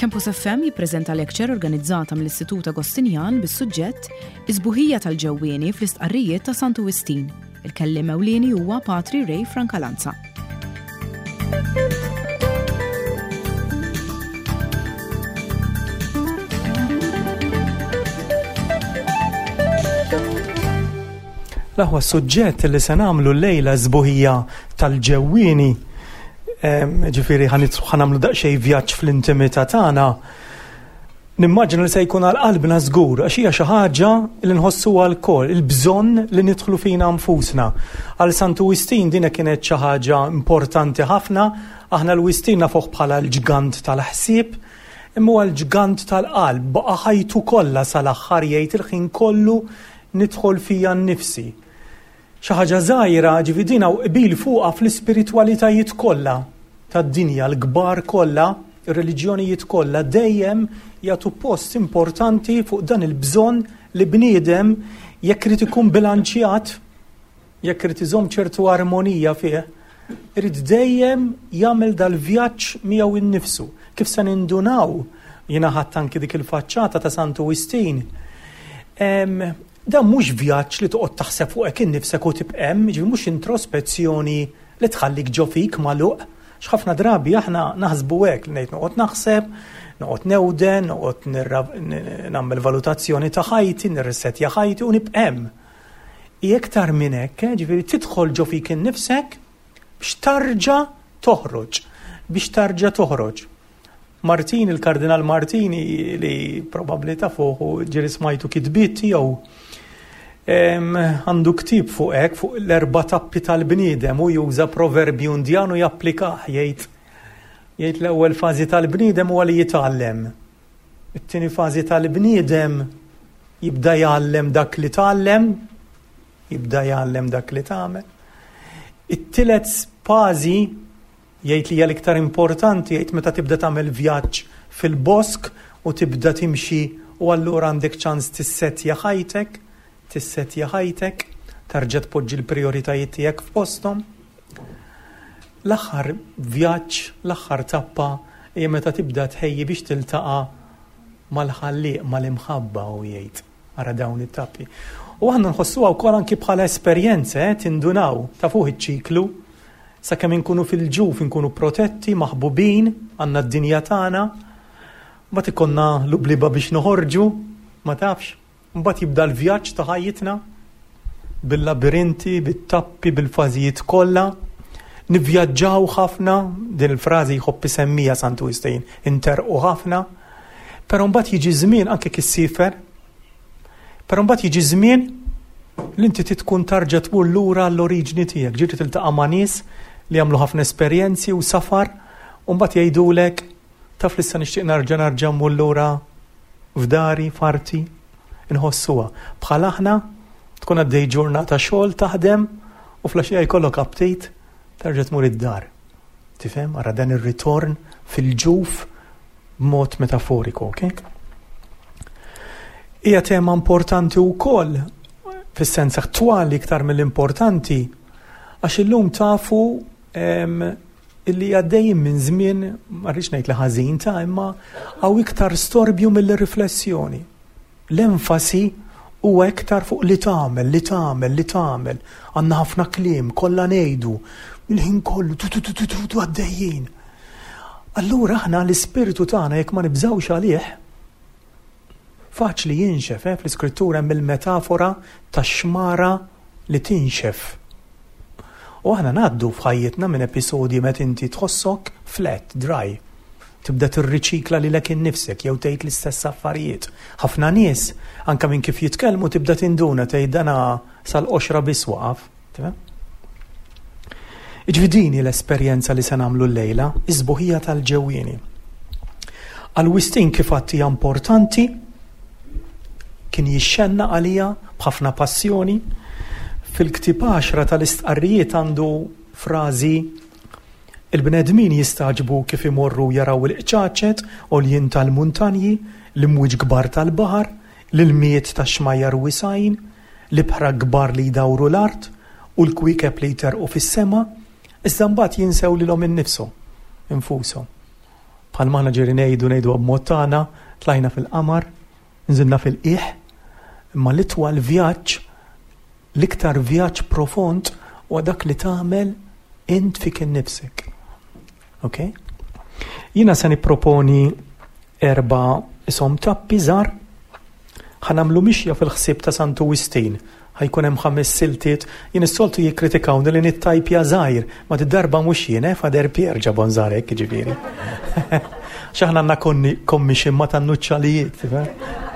Campus FM jippreżenta lecture organizzata mill-Istitut Agostinjan bis-suġġett Is-sbuħija tal-ġewwieni fl-istqarrijiet ta' Santu Wistin. Il-kelliem ewlieni huwa Patri Ray Francalanza. L-aħwa suġġett li se nagħmlu llejla sbuħija tal-ġewwieni, ġifieri ħanamlu daqsxejn vjaġġ fl-intimità tagħna, nimmaġina li se jkun għal qalbna żgur għax hija xi ħaġa li nħossuha lkoll, il-bżonn li nidħlu fina nfusna. Għal Santu Wistin din kienet xi ħaġa importanti ħafna, aħna l-Wistin nafuh bħala l-ġgant tal-ħsieb, imma huwa l-ġgant tal-qalb, baqa' ħajtu kollha sal-aħħar jgħid il-ħin kollu nidħol fija nnifsi. Xi ħaġa żgħira, ġifieri din hawn qbil fuqha fl-ispiritwalitajiet kollha tad-dinja, l-kbar kollha, ir-reliġjonijiet kollha dejjem jagħtu post importanti fuq dan il-bżonn li bniedem jekk irid ikun bilanċjat, jekk irid iżomm ċertu armonija fih, irid dejjem jagħmel dal-vjaġġ miegħu innifsu. Kif se nindunaw, jiena ħadt anki dik il-faċċata ta' Santu Wistin, Dan mhux vjaġġ li toqgħod taħseb fuqek innifsek u tibqa' hemm, jiġifieri mhux introspezzjoni li tħallik ġo fik magħluq. Għax ħafna drabi aħna naħsbu hekk, li ngħid noqgħod naħseb, noqgħod newden, noqgħod nagħmel valutazzjoni ta' ħajti, nirrisettja ħajti u nibqa' hemm. Hi iktar minn hekk, eh, ġifieri tidħol ġo fik innifsek biex tarġa' toħroġ, biex tarġa' toħroġ. Martini, il-Kardinal Martini li probabbli tafuh u ġieli smajtu kitbiet tiegħu, għandu ktieb fuq hekk, fuq l-erba' tappi tal-bniedem u juża proverbju Indjan u japplikah jgħid jgħid l-ewwel fażi tal-bniedem huwa li jitgħallem. It-tieni fażi tal-bniedem jibda jgħallem dak li tgħallem, jibda jgħallem dak li tagħmel. It-tielet fażi Jgħid li hija l-iktar importanti, jgħid meta tibda tagħmel vjaġġ fil-bosk u tibda timxi u allura għandek ċans tissettja ħajtek, tissettja ħajtek, tarġa' tpoġġi l-prijoritajiet tiegħek f'posthom. L-aħħar vjaġġ, l-aħħar tappa hija meta tibda tħejji biex tiltaqa' mal-Ħallieq, mal-imħabba hu jgħid. Ara dawn it-tappi. U aħna nħossuha wkoll anki bħala esperjenza, eh, tindunaw, tafuh iċ-ċiklu Sakemm inkunu fil-ġuf inkunu protetti, maħbubin, għandna d-dinja tagħna. Mbagħad ikollna l-ubliba biex noħorġu, ma tafx. Mbagħad jibda l-vjaġġ ta' ħajjitna bil-labirinti, bit-tappi, bil-fażijiet kollha. Nivvjaġġaw ħafna, din il-frażi jħobb isemmija Santu Wistin, interqu ħafna. Però mbagħad jiġi żmien anke kif issiefer, Però mbagħad jiġi żmien li inti trid tkun tarġa' tmur lura għall-oriġni tiegħek. Ġieli tiltaqa' ma' nies li jagħmlu ħafna esperjenzi u safar u mbagħad jgħidulek taf li issa nixtieq narġa' narġa' mmur lura f'dari, f'arti, inħossuha. Bħal aħna tkun għaddej ġurnata xogħol taħdem u fl-għaxija jkollok aptit terġa' tmur id-dar. Tifhem? Ara dan ir-ritorn fil-ġuf b'mod metaforiku, ok? Hija tema importanti wkoll fis-sens attwali iktar mill-importanti għax illum tafu illi għaddejjin minn żmien ma rridx ngħid li ħażin ta' imma hawn iktar storbju mill-riflessjoni. L-enfasi huwa iktar fuq li tagħmel, li tagħmel, li tagħmel. Għandna ħafna kliem, kollha ngħidu, il-ħin kollu tu tu tu tu tu tu għaddejjin. Allura aħna l-ispirtu tagħna jekk ma nibżgħux għalih, faċli jinxef, eh? fl-iskrittura hemm il-metafora tax-xmara li tinxef. U aħna ngħaddu f'ħajjitna minn episodji meta inti tħossok flat, dry. Tibda tirriċikla lilek innifsek jew tgħid l-istess affarijiet. Ħafna nies, anke minn kif jitkellmu tibda tinduna tgħid dana sal-qoxra biss waqaf. Tifhem? Jiġifieri din hi l-esperjenza li se nagħmlu llejla, is-sbuħija tal-ġewwieni. Għal Wistin kif għadt hija importanti, kien jixxennaq għaliha b'ħafna passjoni. Fil-ktieb għaxra tal-istqarrijiet għandu frażi Il-bnedmin jistagħġbu kif imorru jaraw il-qċaċet għoljin tal-muntanji, l-imwieġ kbar tal-baħar, l-ilmijiet tax-xmajjar wisgħin, l-ibħra kbar li jdawru l-art, u l-kwiekeb li jterrqu fis-sema, iżda mbagħad jinsew lilhom innifshom, infushom. Bħalma aħna ġieli ngħidu ngħidu b'mod tagħna, tlajna fil-qamar, nżilna fil-qiegħ, imma l-itwal vjaġġ, l-iktar vjaġġ profond huwa dak li tagħmel int fik innifsek. Ok? Jiena se nipproponi erba' ishom tappi żgħar. Ħa nagħmlu mixja fil-ħsieb ta' Santu Wistin. Ħa jkun hemm ħames siltiet. Jien is-soltu jikkritikawni li nittajpja żgħir, ma darba mhux jien, eh, Fader Pier ġabon żgħar hekk jiġifieri. X'aħna għandna commission ma tan-nuċċalijiet, tifhem?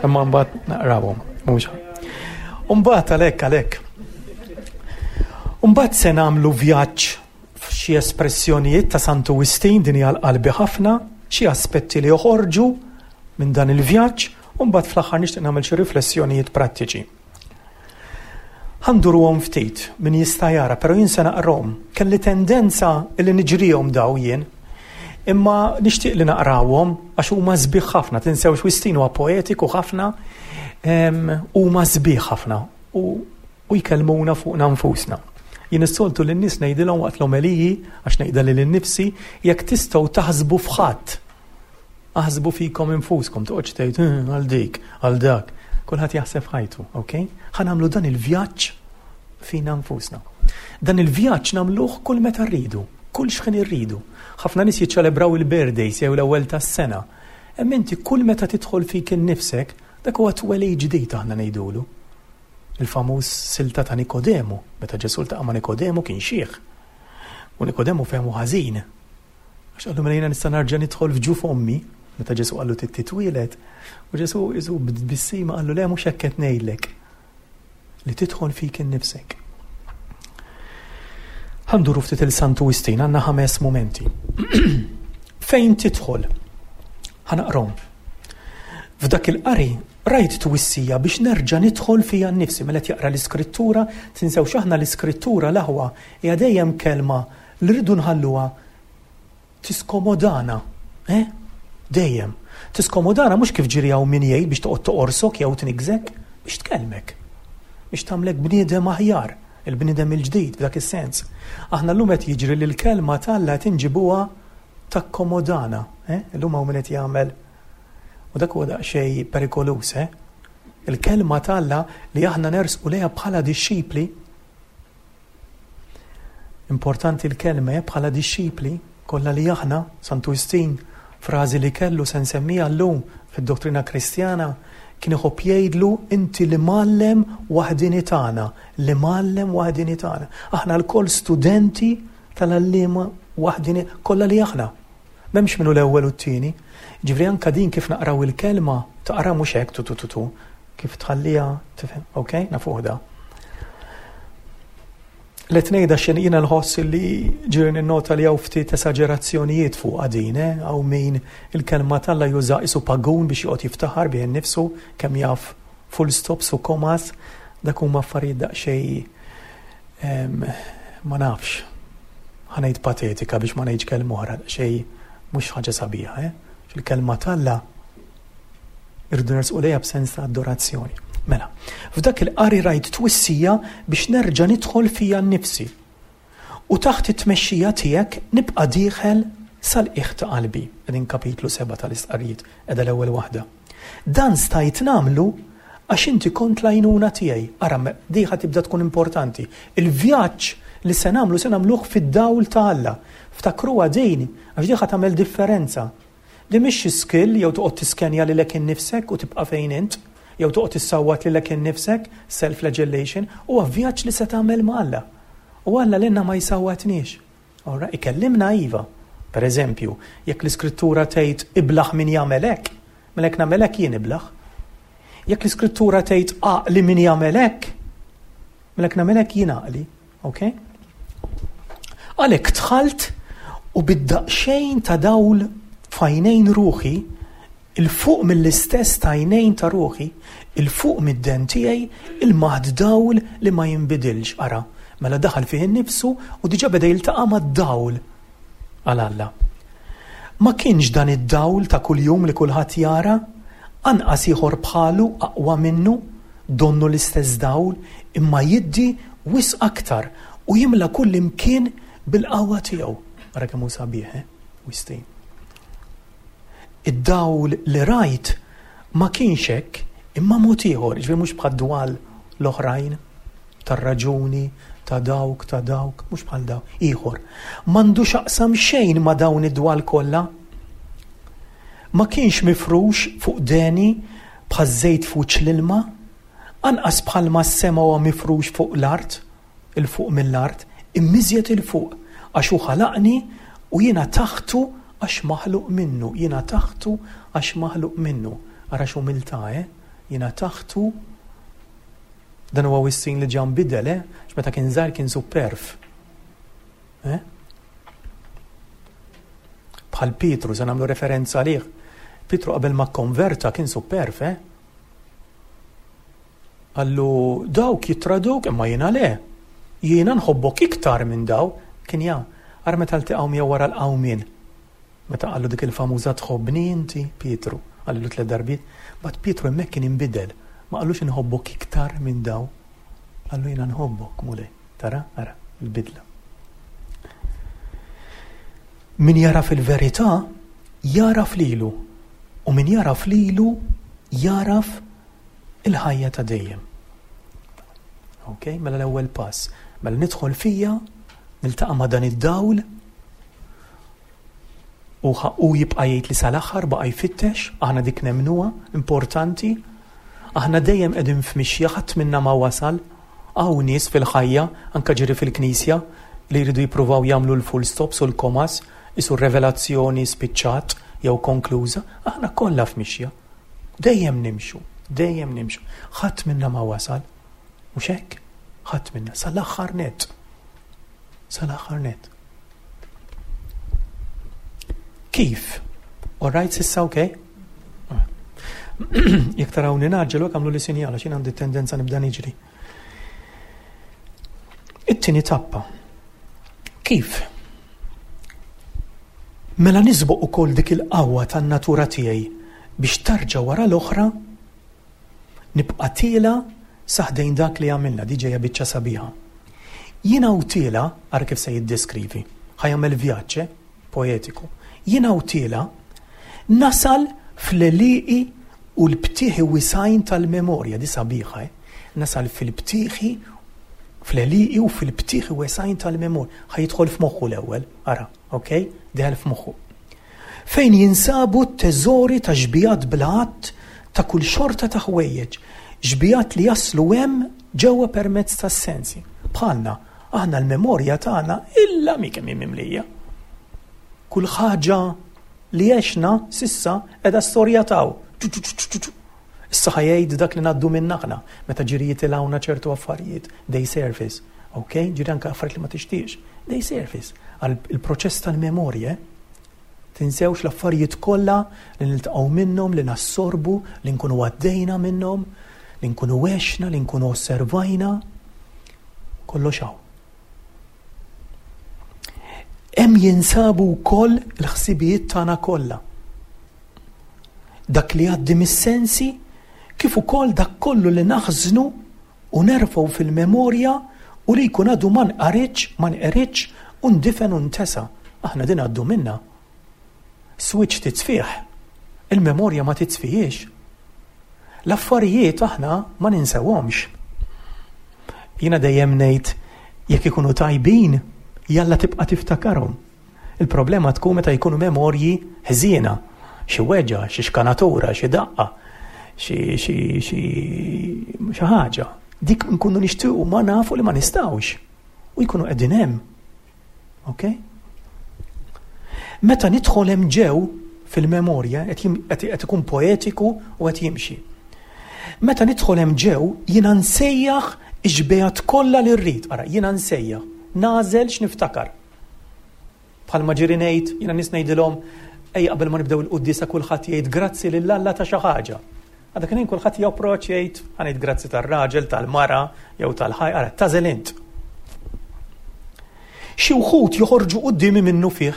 Imma mbagħad naqrawhom, mhux. Mbagħad għalhekk għalhekk. Mbagħad se nagħmlu vjaġġ f'xi espressjonijiet ta' Santu Wistin din hija l-qalbi ħafna, xi aspetti li joħorġu minn dan il-vjaġġ u mbagħad fl-aħħar nixtieq nagħmel xi riflessjonijiet prattiċi. Ħanduruhom ftit min jista' jara, però jien se naqrahom. Kelli tendenza li niġrihom daw jien. Imma nixtieq li naqrawhom għax huma sbieħ ħafna, tinsewx Wistin huwa poetiku ħafna, huma sbieħ ħafna. U u jkellmuna fuqna nfusna. Jien is-soltu lin-nies ngħidilhom waqt l-omeliji, għax ngħidha lili nnifsi, jekk tistgħu taħsbu f'ħadd, aħsbu fikom infuskom, toqgħodx tgħid hm, għal dik, għal dak. Kulħadd jaħseb ħajtu, ok? Ħa nagħmlu dan il-vjaġġ fina nfusna. Dan il-vjaġġ nagħmluh kull meta rridu, kull xħin irridu. Ħafna nies jiċċelebraw il-birthdays jew l-ewwel tas-sena. Hemm inti kull meta tidħol fik innifsek, dak huwa twelid ġdid aħna ngħidulu. Il-famuż silta ta' Nikodemu, meta Ġesù ltaqa' ma' Nikodemu kien xiħ. U Nikodemu fehmu ħażin. Għax qallu mela jiena nista' narġa' nidħol f'ġuf ommi, meta Ġesù qallu trid titwieled. U Ġesù isu b'tbissima qallu le mhux hekk qed ngħidlek. Li tidħol fik innifsek. Ħa nduru ftit il-Santu Wistin, għandna ħames mumenti. Fejn tidħol? Ħa naqrom. F'dak il-qari rajt twissija biex nerġa' nidħol fija nnifsi. Mela qed jaqra l-Iskrittura, tinsewx aħna l-Iskrittura l-aħwa hija dejjem kelma li rridu nħalluha tiskomodana. Eh? Dejjem. Tiskomodana mhux kif ġiri hawn min jgħid biex toqgħod toqorsok jew tniggżek, biex tkellmek. Biex tagħmlek bniedem aħjar, il-bniedem il-ġdid f'dak is-sens. Aħna llum qed jiġri li l-kelma t'Alla qed inġibuha takkomodana. Eh? Illum hawn min qed jagħmel u dak huwa daqsxejn perikoluż, eh? Il-kelma t'Alla li aħna nersqu lejha bħala dixxipli Importanti l-kelma eh, bħala dixxipli kollha li aħna, Santu Wistin, frażi li kellu se nsemmiha llum fid-dottrina Kristjana, kien iħobb jgħidlu inti l-imgħallem waħdieni tagħna, l-imgħallem waħdieni tagħna. Aħna lkoll studenti tal-għalliema waħdieni kollha li aħna. M'hemmx minnu l-ewwel u t-tieni. Ġifri anka din kif naqraw il-kelma, taqra mhux hekk tu tu tu tu, kif tħalliha tifhem, ok? Nafuh da. Let ngħidha x'in jiena nħoss li ġieli ninnota li hawn ftit esaġerazzjonijiet fuqha din, eh? Hawn min il-kelma t'Alla juża isu pagun biex joqgħod jiftaħar bih innifsu kemm jaf full stops u commas, dak huma affarijiet daqsxejn ma nafx. Ħa ngħid patetika biex ma ngħidx kelma oħra daqsxejn mhux ħaġa sabiħa, eh? Il-kelma t'Alla Irridu nersqu lejha b'sens ta' adorazzjoni. Mela, f'dak il-qari rajt twissija biex nerġa' nidħol fija nnifsi. U taħt it-tmexxija tiegħek nibqa' dieħel sal-qiegħ ta' qalbi. Qegħdin kapitlu 7 tal-Istqarrijiet, qiegħda l-ewwel waħda. Dan stajt nagħmlu għax inti kont l-għajnuna tiegħi. Ara, di ħa tibda tkun importanti. Il-vjaġġ li se nagħmlu se nagħmluh fid-dawl ta' Alla. Ftakruha din għax di ħa tagħmel differenza. Din mhix xi skill jew toqgħod tiskenja lilek innifsek u tibqa' fejn int, jew toqgħod issawwat lilek innifsek, self-flagellation, huwa vjaġġ li se tagħmel ma' Alla. U Alla lilna ma jsawwatniex. All right? Ikellimna iva. Per eżempju, jekk l-Iskrittura tgħid iblah min jagħmel hekk, mela jekk nagħmel hekk jien iblah. Jekk l-Iskrittura tgħid għaqli min jagħmel hekk, mela jekk nagħmel hekk jien għaqli. Ok? Għalhekk dħalt u bid-daqsxejn ta' dawl f'għajnejn ruħi, 'il fuq mill-istess t'għajnejn ta' ruħi, 'il fuq mid-demm tiegħi, ilmaħt dawl li ma jinbidilx. Ara, mela daħal fih innifsu u diġà beda jiltaqa' mad-dawl għal Alla. Ma kienx dan id-dawl ta' kuljum li kulħadd jara, anqas ieħor bħalu aqwa minnu, donnu l-istess dawl, imma jiddi wisq aktar u jimla kullimkien bil-qawwa tiegħu. Ara kemm hu sabiħ, eh? Wistin. Id-dawl li rajt ma kienx hekk, imma mod ieħor, jiġifieri mhux bħad-dwal l-oħrajn tar-raġuni, ta' dawk, ta' dawk, mhux bħal dawk, ieħor. M'għandu x'aqsam xejn ma' dawn id-dwal kollha. Ma kienx mifrux fuq deni bħaż-żejt f'wiċċ l-ilma, anqas bħalma s-sema huwa mifrux fuq l-art, 'il fuq mill-art, imma iżjed 'il fuq, għax hu ħalaqni u jiena taħtu għax maħluq minnu, jiena taħtu għax maħluq minnu. Ara x'umiltà, eh? Jiena taħtu Dan huwa Wistin li ġa nbidel, eh? Għax meta kien żgħir kien supperv. Eh? Bħal Pietru, se nagħmlu referenza għalih. Pietru qabel ma kkonverta kien supperv, eh? Qallu dawk jittraduk imma jiena le. Jiena nħobbok iktar minn daw. Kien ja. Ara meta ltiqgħu miegħu wara l-qawmien. Meta qallu dik il-famuża tħobbni inti, Pietru, qallu tliet darbiet. But Pietru hemmhekk kien inbidel. Ma qallux inħobbok iktar minn daw. Qallu jiena nħobbok, Mulej. Tara, ara, il-bidla. Min jara fil-verità, jaraf lilu. U min jaraf lilu, jaraf il-ħajja ta' dejjem. Ok, mela l-ewwel pass. Mela nidħol fija, niltaqa' ma' dan id-dawl, u hu jibqa' jgħid li sal-aħħar baqa' jfittex, aħna dik nemnuha, importanti. Aħna dejjem qegħdin f'mixja, ħadd minna ma wasal. Hawn nies fil-ħajja, anke ġiri fil-knisja, li jridu jippruvaw jagħmlu l-full stops u l-komas, isu r-revelazzjoni spiċċat jew konkluża. Aħna kollha f'mixja. Dejjem nimxu, dejjem nimxu. Ħadd minna ma wasal. Mhux hekk? Ħadd minna sal-aħħar net. Sal-aħħar net. Kif? All right, sissa okay? Jekk tarawni naġġel, għamlu li sinjala, x'in għandi tendenza nibda niġri. It-tieni tappa. Kif? Mela nisboq ukoll dik il-qawwa tan-natura tiegħi biex tarġa wara l-oħra nibqa' tiela' sa ħdejn dak li għamilna, di ġejja biċċa sabiħa. Jiena u tiela', ara kif se jiddeskrivi, ħa jagħmel vjaġġ, eh, poetiku. Jiena u tiela' nasal fl-għelieqi u l-btieħi wisgħin tal-memorja, di sabiħa, eh? Nasal fil-btieħi, fl-għelieqi u fil-btieħi wesgħin tal-memorja. Ħa jidħol f'moħħu l-ewwel, ara. Ok? Deħel f'moħħu. Fejn jinsabu t-teżori ta' xbijat bla għadd ta' kull xorta ta' ħwejjeġ, xbijat li jaslu hemm ġewwa permezz tas-sensi. Bħalna, aħna l-memorja tagħna illa mi kemm hi mimlija. Kull ħaġa li għexna sissa qiegħda storja taw. Issa ħa jgħid dak li ngħaddu minn aħna meta ġiri jitilgħuna ċertu affarijiet, they surface. Ok? Ġiri anke affarijiet li ma tixtiex. They surface. Għal il-proċess tal-memorja, tinsewx l-affarijiet kollha li niltaqgħu minnhom, li nassorbu, li nkunu għaddejna minnhom, li nkunu għexna, li nkunu osservajna. Kollox hawn. Hemm jinsabu wkoll il-ħsibijiet tagħna kollha. Dak li jgħaddi mis-sensi kif ukoll dak kollu li naħżnu u nerfgħu fil-memorja u li jkun għadu ma nqaritx, ma nqeritx u ndifen u ntesa. Aħna din għaddu minna. Switch titfih, il-memorja ma titfihiex. L-affarijiet aħna ma ninsewhomx. Jiena dejjem ngħid jekk ikunu tajbin, jalla tibqa' tiftakarhom. Il-problema tkun meta jkunu memorji ħżiena, xi weġgħa, xi xkanatura, xi daqqa, xi xi xi xi ħaġa. Dik nkunu nixtiequ ma nafu li ma nistgħux. U jkunu qegħdin hemm. Ok? Meta nidħol hemm ġew fil-memorja qed ikun poetiku u qed jimxi. Meta nidħol hemm ġew jiena nsejjaħ ix-xbejat kollha li rrid. Ara, jiena nsejjaħ, nagħżel x'niftakar. Bħalma ġieri ngħid, jiena nies ngħidilhom, ejja qabel ma nibdew il-quddiesa kulħadd jgħid grazzi lil Alla ta' xi ħaġa. Għadha kien kulħadd joproċ jgħid ħa ngħid grazzi tar-raġel, tal-mara jew tal-ħaj, ara tażel int. Xi wħud joħorġu quddiemi minnu fih.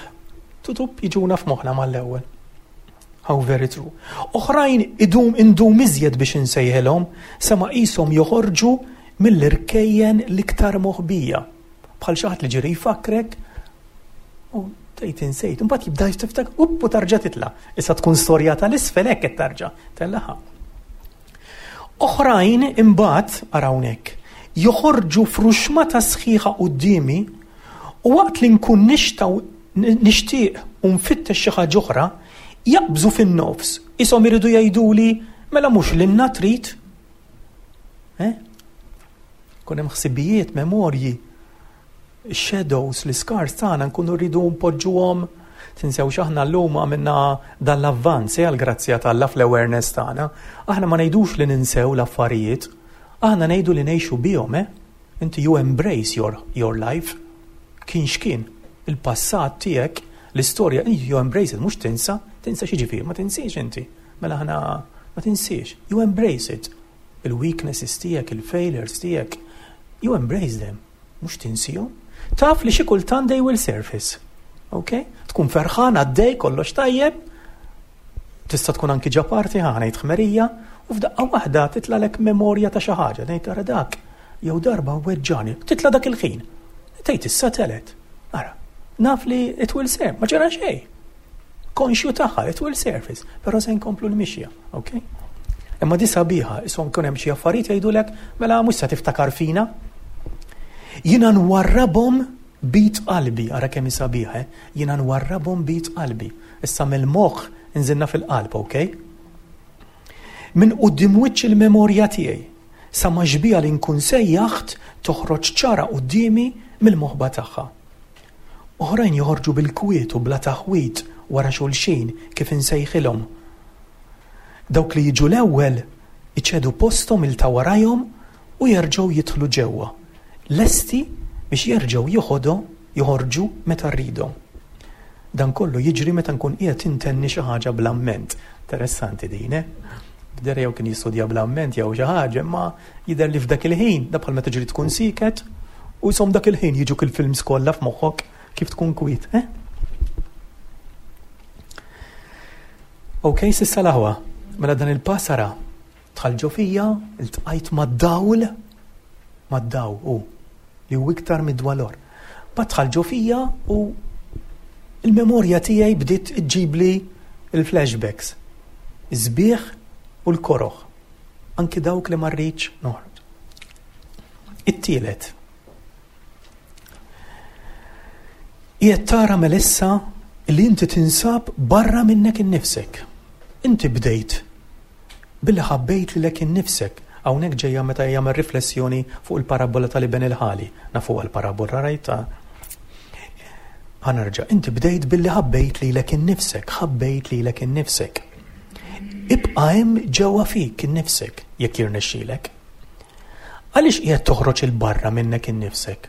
Tutub jiġuna f'moħħna mal-ewwel. How very true. Oħrajn idum indum iżjed biex insejħilhom, sema qishom joħorġu mill-irkejjen l-iktar moħbija. Bħal xi ħadd li ġieri jfakkrek u. Tgħid insejt, imbagħad jibda jiftakar, upp u tarġa' titla'. Issa tkun storja tal-isfel hekk qed tarġa' tellaħa. Oħrajn imbagħad ara hawnhekk, joħorġu fruxmata sħiħa quddiemi u waqt li nkun nixtaw nixtieq u nfittex xi ħaġa oħra, jaqbżu fin-nofs, ishom iridu jgħiduli mela mhux lilna trid. Eh? Kun hemm ħsibijiet, memorji, shadows, l-iskars tagħna nkunu rridu npoġġuhom. Tinsewx aħna llum għamilna dan l-avvanz eh, għall-grazzja t'Alla fl-awareness tagħna. Aħna ma ngħidux li ninsew l-affarijiet, aħna ngħidu li ngħixu bihom, eh? Inti you embrace your, your life. Kien x'kien, il-passat tiegħek, l-istorja, you embrace it, mhux tinsa, tinsa xi ma tinsiex inti. Mela aħna ma tinsiex, you embrace it. Il-weaknesses tiegħek, il-failures tiegħek, you embrace them. Mhux tinsihom. Taf li xi kultant they will surface. Ok? Tkun ferħan għaddej kollox tajjeb. Tista' tkun anki ġa parti ħa ngħid ħmerija u f'daqqa waħda titlalek memorja ta' xi ħaġa, ngħid ara dak jew darba weġġani, titla' dak il-ħin. Tgħid issa telet. Ara, naf li it will serve, ma ġara xejn. Konxju tagħha, it will surface, però se nkomplu l-mixja. Ok? Imma di sabiħa, isom kun hemm xi affarijiet jgħidulek, mela mhux se tiftakar fina. Jiena nwarrabhom bit qalbi, ara kemm sabiħa, eh? Jiena nwarrabhom bit qalbi. Issa mill-moħħ inżilna fil-qalb, ok? Minn quddiem wiċċ il-memorja tiegħi, sa ma xbija li nkun sejjaħt toħroġ ċara quddiemi mill-moħba tagħha. Oħrajn joħorġu bil-kwiet u bla taħwid wara xulxin kif insejħilhom. Dawk li jiġu l-ewwel iċedu posthom 'il ta' warajhom u jerġgħu jidħlu ġewwa, lesti biex jerġgħu joħodo joħorġu meta rridhom. Dan kollu jiġri meta nkun qiegħed intenni xi ħaġa bl-amment. Interessanti din, eh? B'dera jew kien jistudja bl-amment jew xi ħaġa, imma jidher li f'dak il-ħin, da bħal meta ġri tkun siket, u jisom dak il-ħin jiġuk il-films kollha f'moħħok kif tkun kwiet, eh? Ok, sissa l-aħwa, mela dan il-pass ara, dħal ġo fija, iltqajt mad-dawl, mad-daw u li hu iktar mid-dwalor. Ma dħal ġo fija u il-memorja tiegħi bdiet iġġibli il-flashbacks. Iż-sbieħ u l-koroħ. Anki dawk li ma rridx noħroġ. It-tielet. Qiegħed tara melissa li inti tinsab barra minnek innifsek. Inti bdejt billi ħabbejt lilek innifsek. Hawnhekk ġejja meta jagħmel riflessjoni fuq il-parabbola tal-iben il-ħali. Nafuha l-parabbola rajta. Ħa nerġa', inti bdejt billi ħabbejt lilek innifsek, ħabbejt lilek innifsek. Ibqa' hemm ġewwa fik innifsek jekk jirnexxilek. Għaliex qiegħed toħroġ 'il barra minnek innifsek?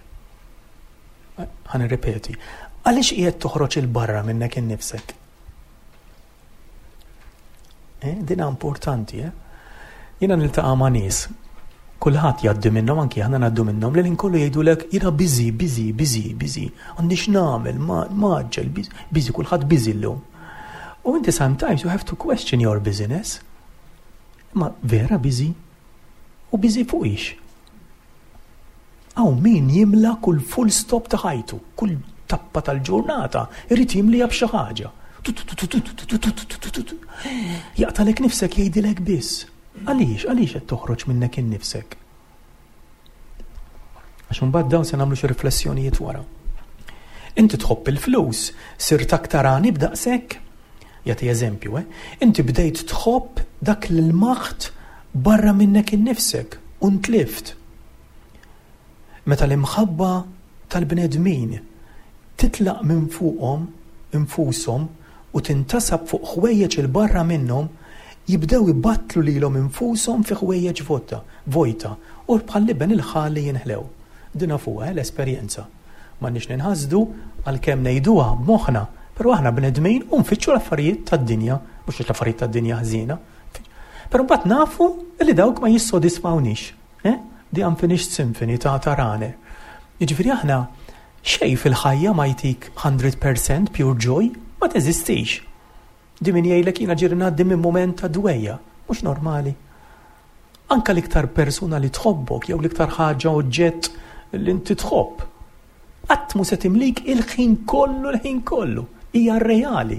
Ħa nirripeti. Għaliex qiegħed toħroġ 'il barra minnek innifsek? Eh, dina importanti, eh? Jiena niltaqa' ma' nies, kulħadd jgħaddi minnhom anki aħna ngħaddu minnhom li kollu jgħidulek jiena busy, busy, busy, busy, għandi x'nagħmel, maġġel, busy, kulħadd busy llum. U inti sometimes you have to question your busyness. Ma vera busy? U busy fuq ix? Hawn min jimla kull full stop ta' ħajtu, kull tappa tal-ġurnata, irid jimliha b'xi ħaġa. Jaqtalek nifsek jgħidilek biss. Għaliex, għaliex qed toħroġ minnek innifsek? Għax imbagħad dawn se nagħmlu xi riflessjonijiet wara. Inti tħobb il-flus, sirt aktar għani b'daqshekk? Jagħti eżempju, eh? Inti bdejt tħobb dak li lmaħt barra minnek innifsek u ntlift. Meta l-imħabba tal-bnedmin titlaq minn fuqhom infushom u tintasab fuq ħwejjeġ 'il barra minnhom, jibdew ibattlu lilhom infushom fi ħwejjeġ vojta u bħall-iben il-ħali jinħlew. Din nafuha, eh, l-esperjenza. M'għandniex ninħasdu għalkemm ngħiduha b'moħħna, però aħna bnedmin u nfittxu l-affarijiet tad-dinja, mhux għax l-affarijiet tad-dinja ħżiena. Però mbagħad nafu li dawk ma jissodisfawniex. Eh? The Unfinished Symphony ta' ta' Rahner. Jiġifieri aħna xejn fil-ħajja ma jtik 100% pure joy, ma teżistix. Di min jgħidlek jiena ġieli ngħaddi minn mument ta' dwejja, mhux normali. Anka l-iktar persuna li tħobbok jew l-iktar ħaġa oġġett li inti tħobb. Qatt mhu se timlik il-ħin kollu l-ħin kollu. Hija reali.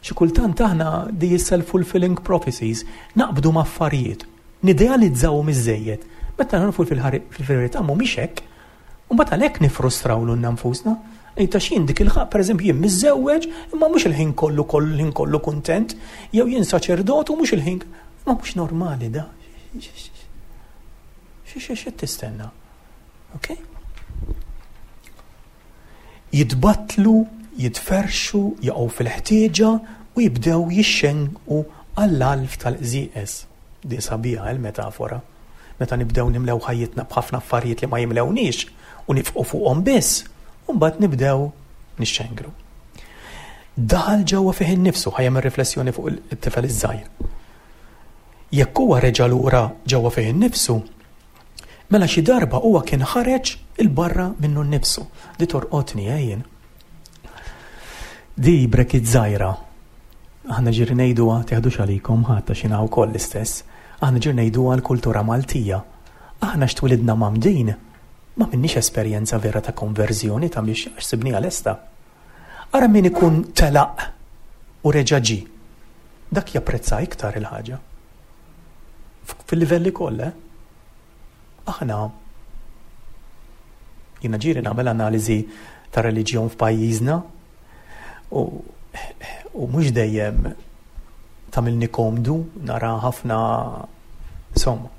Xi kultant aħna the self-fulfilling prophecies naqbdu ma' affarijiet, nidealizzawhom iżżejjed, meta nafu fil-verità mhumiex hekk. U mbagħad għalhekk nifrustraw lilna nfusna. Ngħid għax jien dik il-ħaq pereżempju jien miżżewweġ imma mhux il-ħin kollu kollu l-ħin kollu kuntent, jew jien saċerdot u mhux il-ħin ma mhux normali da. Xi tistenna? Ok? Jitbattlu, jitferrxu, jaqgħu fil-ħtieġa u jibdew jixxennqu għall-għalf tal-qżieqeż. Di sabiħa il-metafora. Meta nibdew nimlew ħajjitna b'ħafna affarijiet li ma jimlewniex u nifqu fuqhom biss, u mbagħad nibdew nixxengru. Daħal ġewwa fih innifsu ħa jagħmel riflessjoni fuq it-tifel iż-żgħir. Jekk huwa reġa' lura ġewwa fih innifsu, Mela xi darba huwa kien ħareġ 'il barra minnu nnifsu. Di torqotni, eh jien. Di brekit żgħira. Aħna ġieri ngħiduha, teħdux għalikom ħadd għax jiena wkoll l-istess. Aħna ġieri ngħiduha l-kultura Maltija. Aħna x'twilidna mgħammdin, ma minniex esperjenza vera ta' konverżjoni ta' biex għax sibniha lesta. Ara min ikun telaq u reġa' ġie. Dak japprezza iktar il-ħaġa. Fil-livelli kollha. Eh? Aħna jiena ġieli nagħmel analiżi ta' reliġjon f'pajjiżna u, u mhux dejjem tagħmilni komdu nara ħafna insomma.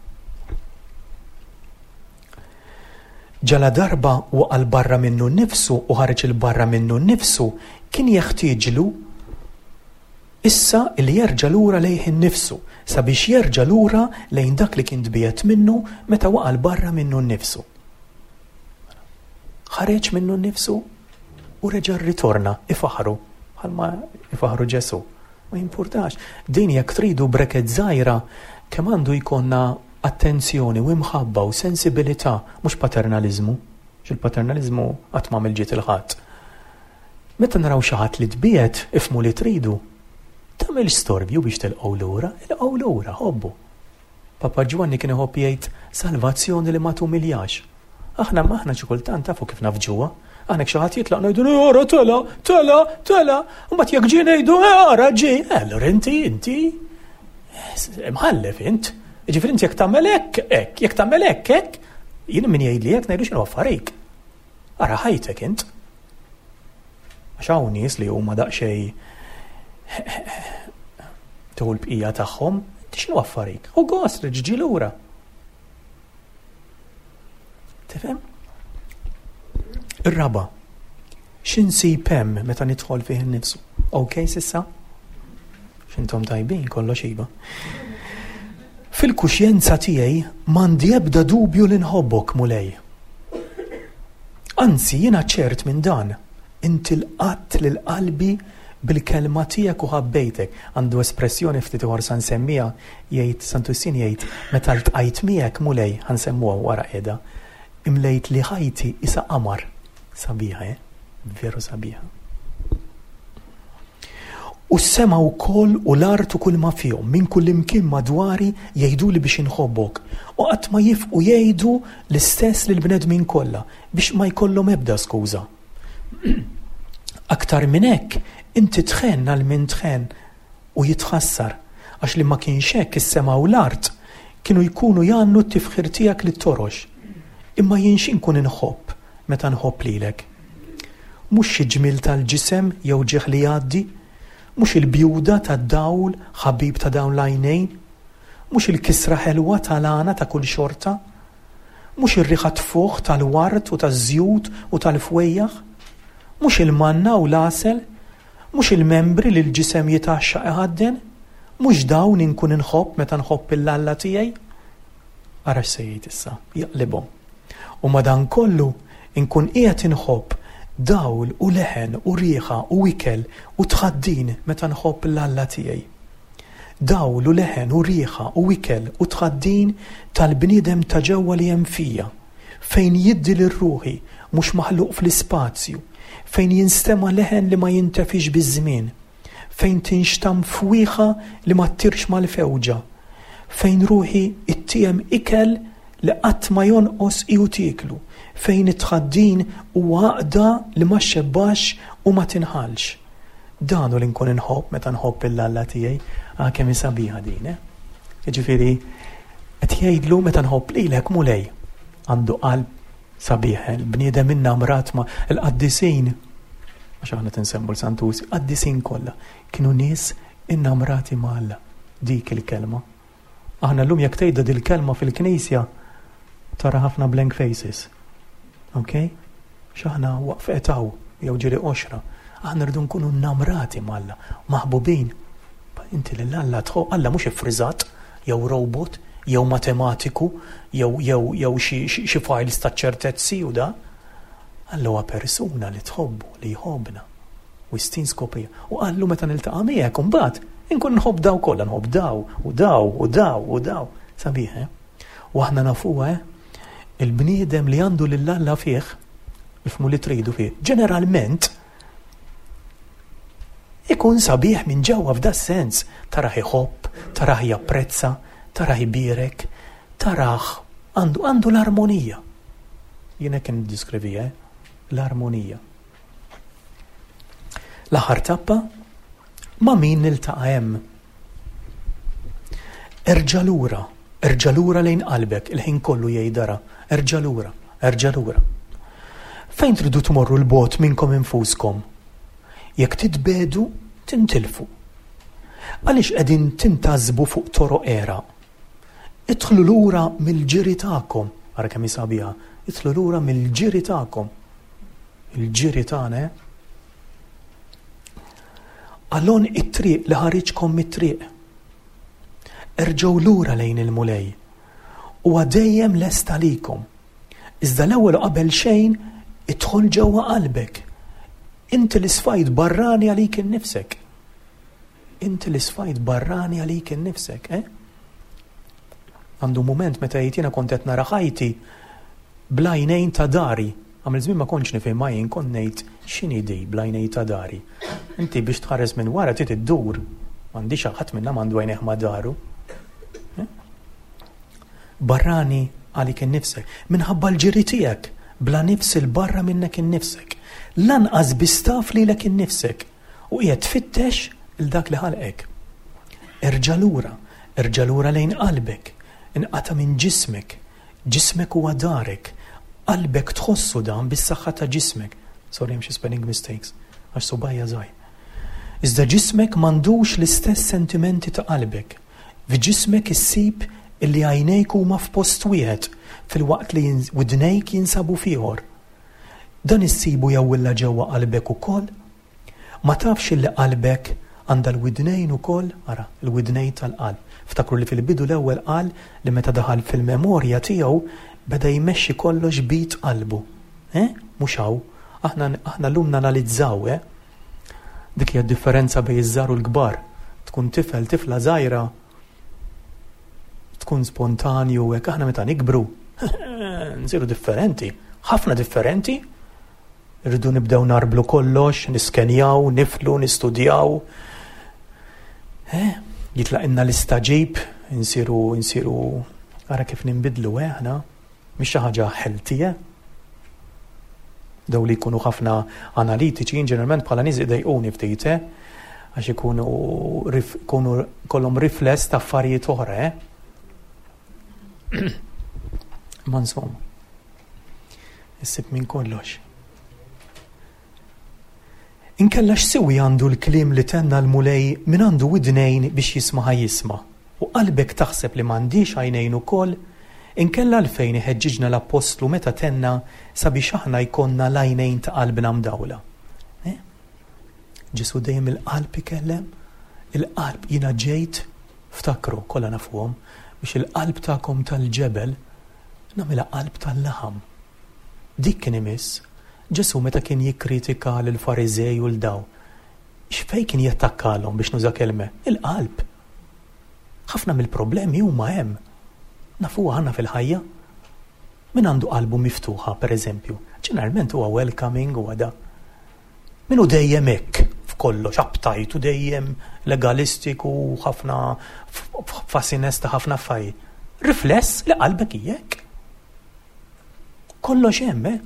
Ġala darba waqa' 'l barra minnu nnifsu u ħareġ 'il barra minnu nnifsu kien jeħtieġlu Issa li jerġa' lura lejh innifsu, sabiex jerġa' lura lejn dak li kien tbiegħed minnu meta waqa' 'l barra minnu nnifsu. Ħareġ minnu nnifsu u reġa' rritorna ifaħħru bħalma ifaħħru Ġesù. Ma jimpurtax. Din jekk tridu breket żgħira kemm għandu jkollna attenzjoni u imħabba u sensibilità, mhux paternaliżmu. X'il-paternaliżmu qatt m'għamel ġid il-ħadd. Meta naraw xi ħadd li tbiegħed, ifhmu li tridu. Tagħmilx storbju biex tilqgħu lura, ilqgħu lura, ħobbu. Papa Ġwanni kien iħobb jgħid salvazzjoni li ma tumiljax. Aħna ma aħna xi kultant tafu kif nafġuha. Aħna xi ħadd jitlaq ngħidu eh, ara tela, tela, tela. Mbagħad jekk ġie ngħidu eh, ara ġie. Eh, allura inti, inti imħallef int. Ġifieri inti jekk tagħmel hekk, hekk, jekk tagħmel hekk, hekk, jien min jgħidli hekk ngħidu x'inhu affarik. Ara ħajtek int. Għax hawn nies li huma daqsxejn tieħu l-bqija tagħhom, inti x'inhu affarik? U gost li ġġi lura. Tifhem? Ir-raba' x'insib hemm meta nidħol fih innifsu? Ok sissa? X'intom tajbin kollox iva. Fil-kuxjenza tiegħi m'għandi ebda dubju li nħobbok, Mulej. Anzi, jiena ċert minn dan, inti lqatt lil qalbi bil-kelma tiegħek u ħabbejtek. Għandu espressjoni ftit ieħor sa nsemmiha, jgħid Santu Wistin jgħid, meta ltqajt miegħek Mulej, ħa nsemmuha wara qiegħda, imlejtli ħajti isa qamar. Sabiħa, eh? Veru sabiħa. U s-sema wkoll u l-art u kull ma fihom, minn kullimkien madwari jgħiduli biex inħobbok, u qatt ma jifqu jgħidu l-istess lill-bnedmin kollha, biex ma jkollhom ebda skuża. Aktar minn hekk, inti tħenn għal min tħenn u jitħassar, għax li ma kienx hekk is-sema u l-art kienu jkunu jgħannu t-tifħir tiegħek lit-torox. Imma jien xi nkun inħobb meta nħobb lilek? Mhux xi ġmiel tal-ġisem jew ġieħ li jgħaddi? Mhux il-bjuda tad-dawl ħabib ta' dawn l-għajnejn? Mhux il-kisra ħelwa tal-għana ta' kull xorta? Mhux ir-riħa tfuħ tal-ward u taż-żjut u tal-fwejjaħ? Mhux il-manna u l-għasel? Mhux il-membri li l-ġisem jitgħaxxaq iħadden? Mhux dawn inkun inħobb meta nħobb 'il Alla tiegħi? Ara x'se jgħid issa, jaqlibhom. U madankollu nkun qiegħed inħobb dawl u leħen u riħa u ikel u tħaddin meta nħobb 'l Alla tiegħi. Dawl u leħen u riħa u ikel u tħaddin tal-bniedem ta' ġewwa li hemm fija, fejn jiddi lil ruħi mhux maħluq fl-ispazju, fejn jinstema' leħen li ma jintefix biż-żmien, fejn tinxtamm fwieħa li ma ttirx mal-fewġa, fejn ruħi ttiegħem ikel li qatt ma jonqos hi u tieklu, fejn it-tħaddin huwa għaqda li ma xxebbax u ma tinħallx. Dan hu li nkun inħobb meta nħobb 'il Alla tiegħi. Ah kemm hi sabiħa din, eh? Jiġifieri qed jgħidlu meta nħobb lilek Mulej. Għandu qalb sabiħ, eh? il-bniedem innamrat ma' il-qaddisin. Għax aħna tinsemmu l-Santusi, qaddisin kollha kienu nies innamrati ma' Alla. Dik il-kelma. Aħna llum jekk tgħidha dil-kelma fil-knisja tara ħafna blank faces. Ok? X'aħna waqfet hawn jew ġiri qoxra. Aħna rridu nkunu nnamrati m'Alla, maħbubin. Inti lil Alla tħobb, Alla mhux iffriżat jew robot jew matematiku jew jew jew xi files ta' ċertezzi u da. Alla huwa persuna li tħobbu, li jħobbna. Wistin skoprija. U qallu meta niltaqa' miegħek imbagħad inkun nħobb daw kollha, nħobb daw u daw u daw u daw. Sabiħ, eh? U aħna nafuha, eh? Il-bniedem li għandu lil Alla fih, ifhmu li tridu fih, ġeneralment ikun sabiħ minn ġewwa f'da sens, tarah iħobb, tarah japprezza, tarah ibierek, tarah għandu għandu l-armonija. Jien hekk niddiskrivija, eh? L-armonija. L-aħħar tappa ma' min niltaqa' hemm. Erġa' lura, erġa' lura lejn qalbek, il-ħin kollu jgħid ara, erġa' lura, erġa' lura. Fejn tridu tmorru 'l bogħod minnkom infuskom? Jekk titbiegħdu, tintilfu. Għaliex qegħdin tintasbu fuq toroq għeraq? Idħlu lura mill-ġiri tagħkom, ara kemm hi sabiħa, idħlu lura mill-ġiri tagħkom. Il-ġiri tagħna, eh? Għalon it-triq li ħariġkom mit-triq. Erġgħu lura lejn il-Mulej. Huwa dejjem lest għalikom. Iżda l-ewwel u qabel xejn idħol ġewwa qalbek. Inti li sfajt barrani għalik innifsek. Inti li sfajt barrani għalik innifsek, eh? Għandu mument meta jgħid jiena kont qed nara ħajti bl-għajnejn ta' dari. Għamil żmien ma kontx nifhimha jien kont ngħid x'inhi di bl-għajnejn ta' dari. Inti biex tħares minn wara trid iddur. M'għandix ħadd minna m'għandu għajnejh ma' daru. Eh? Barrani għalik innifsek, minħabba l-ġiri tiegħek, bla nifs il-barra minnek innifsek. Lanqas biss taf lilek innifsek. U qiegħed tfittex 'il dak li ħalqek. Erġa' lura, erġa' lura lejn qalbek, inqata' minn ġismek. Ġismek huwa darek. Qalbek tħossu dan bis-saħħa ta' ġismek. Sorry hemm xi spelling mistakes, għax subgħajja żgħir. Iżda ġismek m'għandux l-istess sentimenti ta' qalbek. F'ġismek issib illi għajnejk huma f'post wieħed filwaqt li widnejk jinsabu f'ieħor. Dan issibu jewwilla ġewwa qalbek ukoll? Ma tafx illi qalbek għandha l-widnejn ukoll? Ara, il-widnejn tal-qalb. Ftakru li fil-bidu l-ewwel qal li meta daħal fil-memorja tiegħu beda jmexxi kollox b'id qalbu. Eh? Mhux hawn. Aħna aħna llum nanalizzaw, eh? Dik hija d-differenza bejn iż-żgħar u l-kbar. Tkun tifel, tifla żgħira, tkun spontanju hekk aħna meta nikbru nsiru differenti, ħafna differenti. Irridu nibdew narblu kollox, niskenjaw, niflu, nistudjaw. Eh, jitlaq l-istaġib, nsiru nsiru ara kif ninbidlu eh aħna. Mhix xi ħaġa healthy, eh? Daw li jkunu ħafna analitiċi, ġeneralment bħala nies idejquni ftit, eh? Għax ikunu ikunu kollhom rifless ta' affarijiet oħra, eh? Ma insomma. Issib minn kollox. Inkella x'siwi għandu l-kliem li tenna l-Mulej min għandu widnejn biex jisma' ħa jisma', u qalbek taħseb li m'għandhiex għajnejn ukoll? Inkella għalfejn iħeġġiġna l-Appostlu meta tenna sabiex aħna jkollna l-għajnejn ta' qalbna mdawla? Eh? Ġesù dejjem il-qalb ikellem, il-qalb jiena ġejt, ftakru, kollha nafuhom, biex il-qalb tagħkom tal-ġebel nagħmilha qalb tal-laħam. Dik kien imiss. Ġesù meta kien jikkritika lill-Fariżej u 'l daw, x'fejn kien jattakkalhom biex nuża kelme? Il-qalb. Ħafna mill-problemi huma hemm. Nafuha aħna fil-ħajja. Min għandu qalbu miftuħa, per eżempju, ġeneralment huwa welcoming huwa da. Min hu dejjem hekk f'kollox, uptight u dejjem legalistiku u ħafna fasines ta' ħafna affarijiet. Rifless li qalbek hi hekk. Kollox hemm, eh?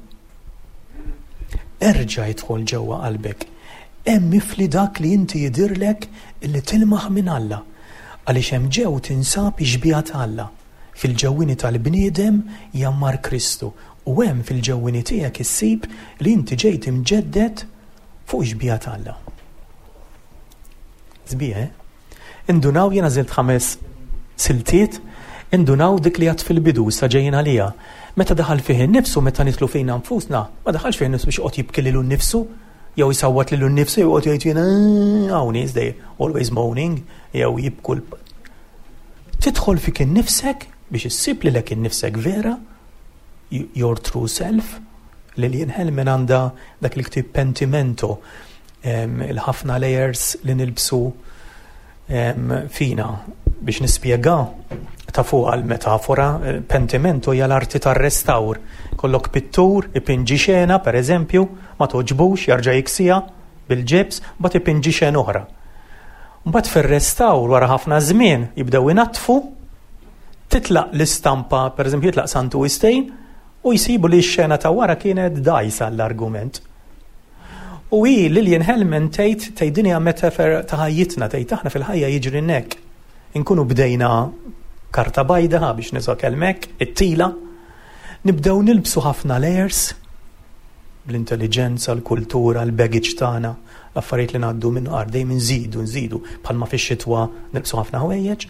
Erġa' idħol ġewwa qalbek. Hemm ifli dak li inti jidhirlek illi tilmaħ minn Alla. Għaliex hemm ġew tinsab ix-xbieha ta' Alla. Fil-ġewwieni tal-bniedem jgħammar Kristu u hemm fil-ġewwieni tiegħek issib li inti ġejt imġedded fuq ix-xbieha ta' Alla. Sbieħ, eh? Indunaw jien għażilt ħames siltiet, indunaw dik li għad fil-bidu issa ġejjin għalija. Meta daħal fih innifsu, meta nidħlu fina nfusna, ma daħalx fih innifsu biex joqgħod jibki lilu nnifsu, jew isawwat lilu nnifsu, jew joqgħod jgħid jiena eh, hawn nies they always moaning, jew jibku l Tidħol fik innifsek biex issib lilek innifsek vera, your true self, Lillian Hellman għandha dak il-ktieb Pentimento, il-ħafna layers li nilbsu fina biex nispjega ta' fuq għal-metafora, pentimento hija l-arti tar-restawr. Kollok pittur, ipinġi xena, per eżempju, ma toġbux, jarġa' jiksija bil-ġibs, bat ipinġi xena oħra. Mbagħad fir-restawr wara ħafna żmien jibdew inattfu, titlaq l-istampa, per eżempju jitlaq Santu Wistin, U jsibu li x-xena ta' wara kienet dgħajsa l-argument. U hi Lillian Hellman tgħid tgħid din hija metafer ta' ħajjitna, tgħid aħna fil-ħajja jiġri hekk. Inkunu bdejna karta bajda biex niża kelmek, it-tila. Nibdew nilbsu ħafna layers bl-intelligenza, l-kultura, l-baggage tagħna, l-affarijiet li ngħaddu minn qar dejjem nżidu, nżidu, bħalma fix-xitwa nilbsu ħafna ħwejjeġ.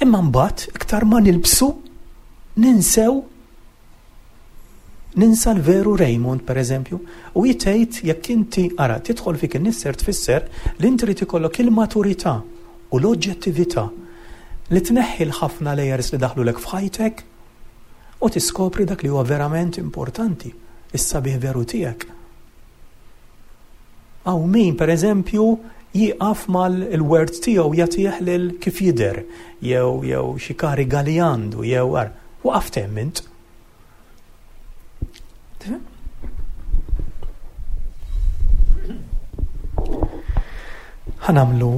Imma mbagħad iktar ma nilbsu ninsew ninsa l-veru Raymond per eżempju, u hi tgħid jekk inti ara tidħol fik innifser tfisser li inti rid ikollok il-maturità u l-oġġettività li tneħħi l-ħafna layers li daħlulek f'ħajtek u tiskopri dak li huwa verament importanti, is-sabiħ veru tiegħek. Hawn min, per eżempju, jieqaf mal-word tiegħu jagħtih lil kif jidher jew jew xi kariga li għandu jew ar. Waqaft hemm int. Ħa nagħmlu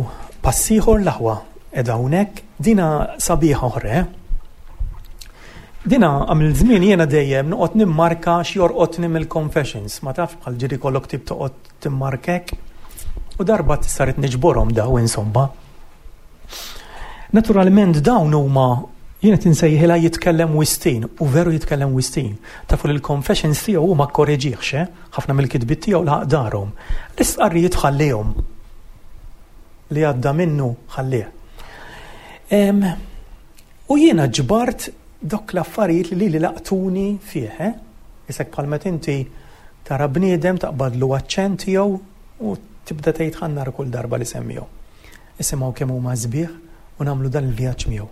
pass ieħor l-aħwa qiegħda hawnhekk, dina sabiħa oħra, eh? Dina għamil żmien jiena dejjem noqgħod nimmarka x'jorqotni mill-confessions, ma tafx bħal ġiri kollok tib toqgħod timmarkek. U darba saret niġborhom daw insomma. Naturalment dawn huma jien qed insejħilha jitkellem Wistin u veru jitkellem Wistin. Tafu li l-confessions tiegħu huma kkoreġihx, eh? ħafna mill-kitbiet tiegħu laħaq darhom. L-istqarrijiet ħallihom. Li għadda minnu ħallih. U jiena ġbart dawk l-affarijiet li lili laqtuni fih, eh? Isek bħal meta inti tara bniedem taqbadlu aċċent tiegħu u tibda tgħid ħa nara kull darba li semmihom. Isimgħu kemm huma sbieħ u nagħmlu dan il-vjaġġ miegħu.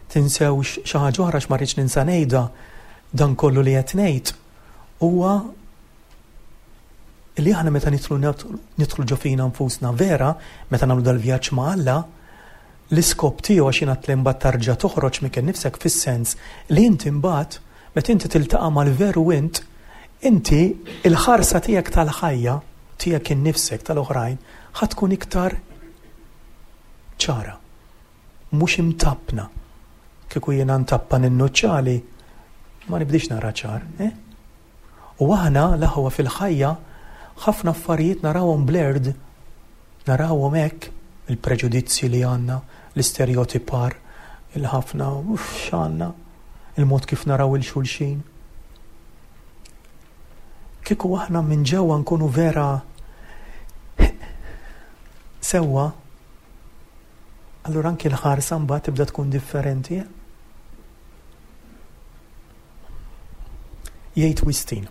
Tinsewx xi ħaġa oħra x'ma rridx ninsa ngħidha dan kollu li qed ngħid huwa Li aħna meta nidħlu nidħlu ġo fina nfusna vera, meta nagħmlu dal-vjaġġ ma' Alla, l-iskop tiegħu għax jien li mbagħad tarġa' toħroġ minn innifsek fis-sens li inti mbagħad meta inti tiltaqa' mal-veru int, inti il-ħarsa tiegħek tal-ħajja, tiegħek innifsek tal-oħrajn, ħa tkun iktar ċara. Mhux imtappna. Kieku jiena ntappan in-nuċċali, ma nibdix nara ċar, eh? U aħna, l-aħwa fil-ħajja, ħafna affarijiet narawhom blurred, narawhom hekk, il-preġudizzji li għandna, l-isterjotipar, il-ħafna, uff, x'għandna, il-mod kif naraw 'il xulxin. Kieku aħna minn ġewwa nkunu vera sewwa, allura anki l-ħarsa mbagħad tibda tkun differenti. Eh? Jgħid Wistin.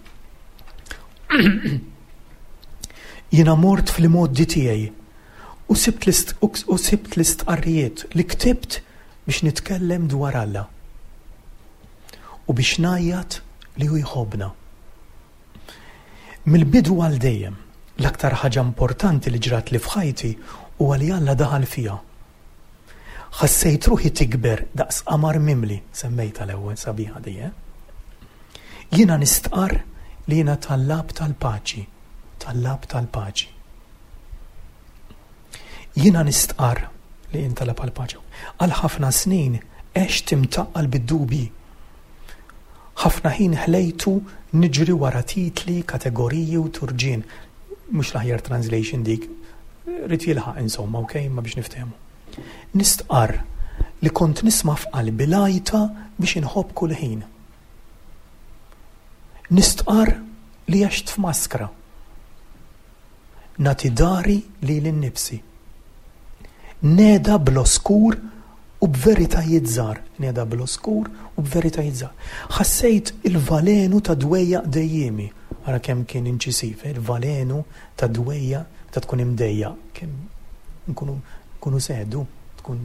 Jiena mort fl-imgħoddi tiegħi u sibt u sibt l-istqarrijiet li ktibt biex nitkellem dwar Alla u biex ngħajjat li hu jħobbna. Mill-bidu għal dejjem, l-aktar ħaġa importanti li ġratli f'ħajti huwa li Alla daħal fija. Ħassejt ruħi tikber daqs qamar mimli, semmejtha l-ewwel sabiħa di, eh? Jiena nistqarr li jiena tallab tal-paċi, tallab tal-paċi. Jiena nistqarr li jien talab għall-paċi. Għal ħafna snin għext imtaqqal bid-dubji. Ħafna ħin ħlejtu niġri wara titli, kategoriji u turġien. Mhux l-aħjar translation dik. Ried jilħaq insomma, ok, imma biex niftehmu. Nistqarr li kont nisma' f'qalbi l-għajta biex inħobb kull ħin. Nistqarr li għext f'maskra. Nagħti dari lili nnifsi. Neda bl-oskur u b'veritajiet żgħar. Neda bl-oskur u b'veritajiet żgħar. Ħassejt il-valenu ta' dwejjaq dejjiemi. Ara kemm kien inċisiv, eh, il-valenu ta' dwejjaq ta' tkun imdejjaq. Kemm nkunu nkunu sedu, tkun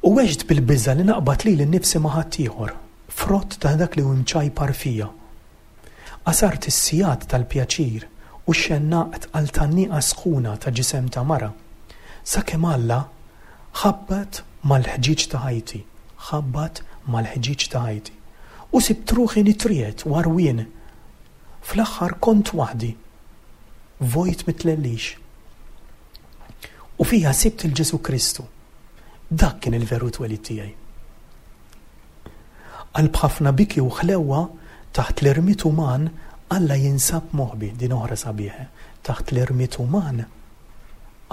U għext bil-biża' li naqbad lili nnifsi ma' ħaddieħor, frott ta' dak li hu mċajpar fija. Għasart is-sigħat tal-pjaċir u xxennaqt għal tgħanniqa sħuna ta' ġisem ta' mara, sakemm Alla ħabbat mal-ħġieġ ta' ħajti, ħabbat mal-ħġieġ ta' ħajti. U sibt ruħi nitriegħed u għarwien. Fl-aħħar kont waħdi, vojt mit-tlellix. U fija sibt 'il Ġesù Kristu. Dak kien il-veru twelid tiegħi. Qalb ħafna biki u ħlewwa, taħt l-irmied uman, Alla jinsab moħbi. Din oħra sabiħ, eh? Taħt l-irmied uman,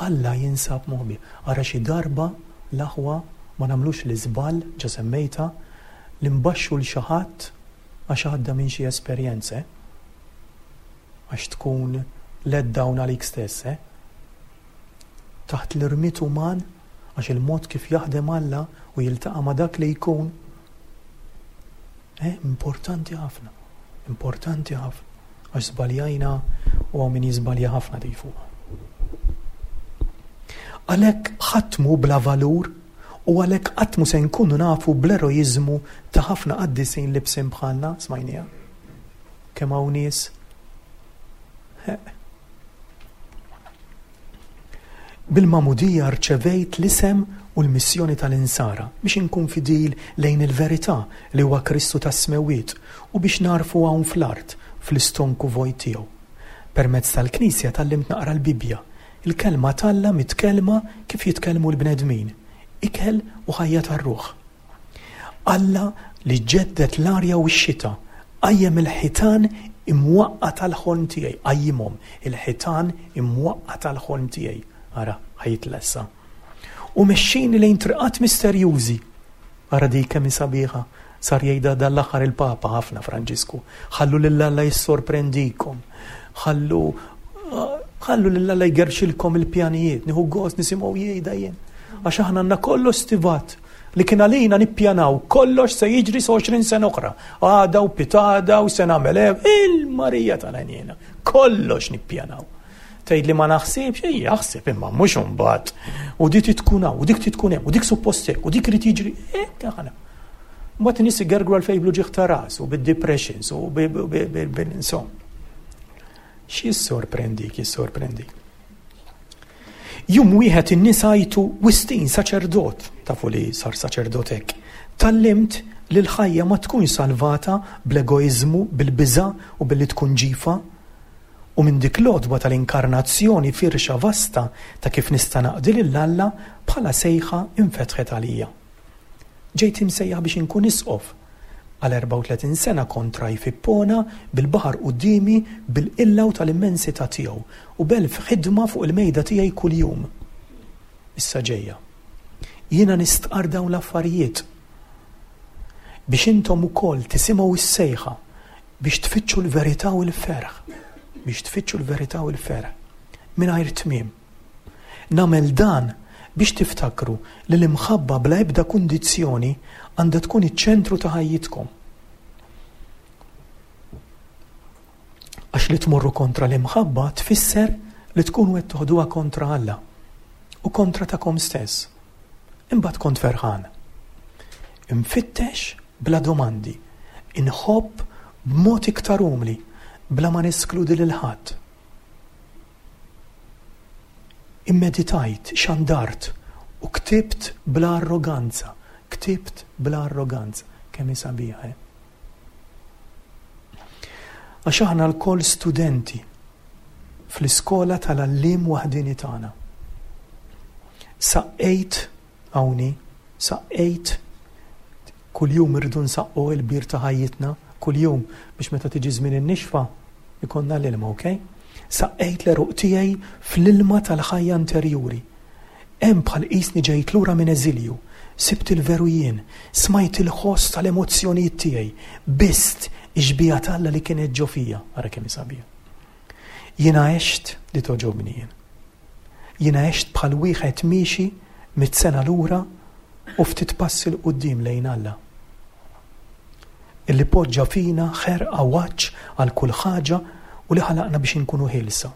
Alla jinsab moħbi. Ara xi darba l-aħwa ma nagħmlux l-iżball, ġa semmejtha, li nbaxxu 'l xi ħadd għax għadda minn xi esperjenza, eh? Għax tkun let down għalik stess, eh? Taħt l-irmied uman, Għax il-mod kif jaħdem Alla u jiltaqa' ma' dak li jkun, eh, importanti ħafna. Importanti ħafna. Għax żbaljajna u hawn min jiżbalja ħafna dik fuq. Għalhekk ħadd mhu bla valur u għalhekk qatt mhu se nkunu nafu bl-eroiżmu ta' ħafna qaddisin libsin bħalna, smajniha. Kemm hawn nies Bil-magħmudija rċevejt l-isem u l-missjoni tal-Insara biex inkun fidil lejn il-verità li huwa Kristu tas-smewwiet u biex nagħrfu hawn fl-art, fl-istonku vojt tiegħu. Permezz tal-Knisja tgħallimt naqra l-Bibbja, il-Kelma t'Alla mitkellma kif jitkellmu l-bnedmin, ikel u ħajja tar-ruħ. Alla li ġedded l-arja u x-xita, qajjem il-ħitan imwaqqa' tal-ħolm tiegħi, qajjimhom, il-ħitan imwaqqa' tal-ħolm tiegħi. Ara, ħa jitlessa. U mexxini lejn triqat misterjużi. Ara dik kemm hi sabiħa. Sar jgħidha dan l-aħħar il-Papa ħafna Franġisku. Ħallu lil Alla jissorprendikom. Ħallu ħallu lil Alla jgerxilkom il-pjanijiet. Nieħu gost nisimgħu jgħidha jien. Għax aħna għandna kollox stivat. Li kien għalina nippjanaw kollox se jiġri sa 20 sena oħra. Għada u pitada u se nagħmel hekk. Il-Marija tal-għenjena. Kollox nippjanaw. Tgħid li ma naħsibx, ejja aħseb imma mhux imbagħad. U di tkun hawn, u dik tkun hemm, u dik suppost hekk, u dik irid jiġri. Hekk aħna. Mbagħad nies igergru għal fejn blu ta' ras u bid-depressions u bil-insomma. X'jissorprendik, jissorprendik. Jum wieħed in-nies għajtu Wistin saċerdot, tafu li sar saċerdot hekk. Tgħallimt li l-ħajja ma tkunx salvata bl-egoiżmu, bil-biża' u billi tkun ġifa. U minn dik l-għodwa tal-inkarnazzjoni firxa vasta ta' kif nista' naqdi lil Alla bħala sejħa infetħet għalija. Ġejt imsejjaħ biex inkun isqof. Għal 34 sena kont ragħaj f'Ippona, bil-baħar quddiemi, bil-qilla u tal-immensità tiegħu, u b'elf ħidma fuq il-mejda tiegħi kuljum. Issa ġejja. Jiena nistqarr dawn l-affarijiet biex intom ukoll tisimgħu s-sejħa biex tfittxu l-verità u l-ferħ, biex tfittxu l-verità u l-ferħ mingħajr tmiem. Nagħmel dan biex tiftakru li l-imħabba bla ebda kundizzjoni għandha tkun iċ-ċentru ta' ħajjitkom. Għax li tmorru kontra l-imħabba tfisser li tkunu qed toħduha kontra Alla u kontra tagħkom stess. Imbagħad kont ferħan. Infittex bla domandi, inħobb b'mod iktar umli, bla ma neskludi lil ħadd. Immeditajt, xandart u ktibt bla arroganza, ktibt bla arroganza. Kemm hi sabiħa, eh? Għax aħna lkoll studenti fl-iskola tal-għalliem waħdieni tagħna. Saqqejt hawnhi, saqqejt kuljum irridu nsaqqu il-bir ta' ħajjitna, kuljum biex meta tiġi żmien in-nixfa ikollna l-ilma, ok? Saqqejt l-għeruq tiegħi fl-ilma tal-ħajja interjuri. Hemm bħal qisni ġejt lura minn eżilju, sibt il-veru jien, smajt il-ħoss tal-emozzjonijiet tiegħi, bist ix-xbieha t'Alla li kienet ġo fija. Ara kemm hi sabiħa. Jiena għext li togħġobni jien. Jiena għext bħal wieħed miexi mitt sena lura u ftit passi 'l quddiem lejn Alla. Illi poġġa fina ħerqa u għatx għal kull ħaġa u li ħalaqna biex inkunu ħielsa.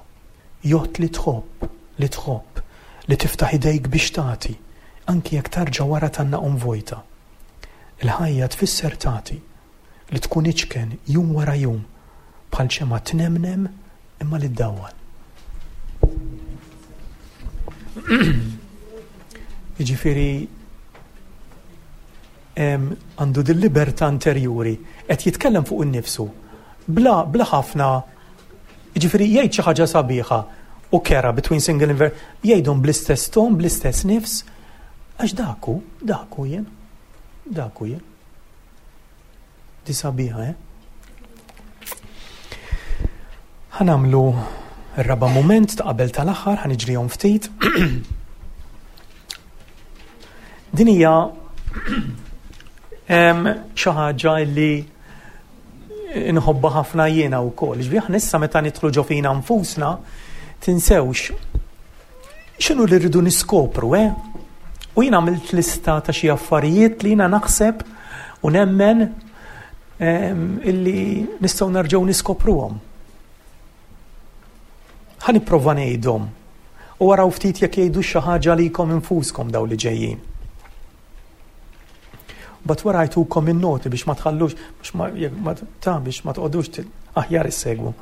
Jgħodd li tħobb, li tħobb, li tiftaħ idejk biex tagħti, anki jekk tarġa' wara tgħannaqhom vojta. Il-ħajja tfisser tagħti, li tkun iċken jum wara jum, bħal xemgħa tnemnem imma li ddawwal. Jiġifieri għandu din libertà interjuri, qed jitkellem fuq innifsu. Bla, bla ħafna, jiġifieri jgħid xi ħaġa sabiħa u kera between single inver, jgħidhom bl-istess ton, bl-istess nifs, għax daku, daku jien, daku jien. Di sabiħa, eh? Ħanamlu r-raba' moment ta' qabel tal-aħħar, ħaniġrihom ftit. Din hija xi ħaġa li nħobba ħafna jiena wkoll. Ġbi aħna issa meta nidħlu ġo fina nfusna, tinsewx x'inhu li rridu niskopru, eh? U jiena għamilt lista ta' xi affarijiet li jiena naħseb u nemmen illi nistgħu nerġgħu niskopruhom. Ħa nipprova ngħidhom u waraw ftit jekk jgħidu xi ħaġa għalikom infuskom daw li ġejjin. Bat wara jtukom in-noti biex ma tħallux biex ma ta' biex ma tqogħdux aħjar issegwu.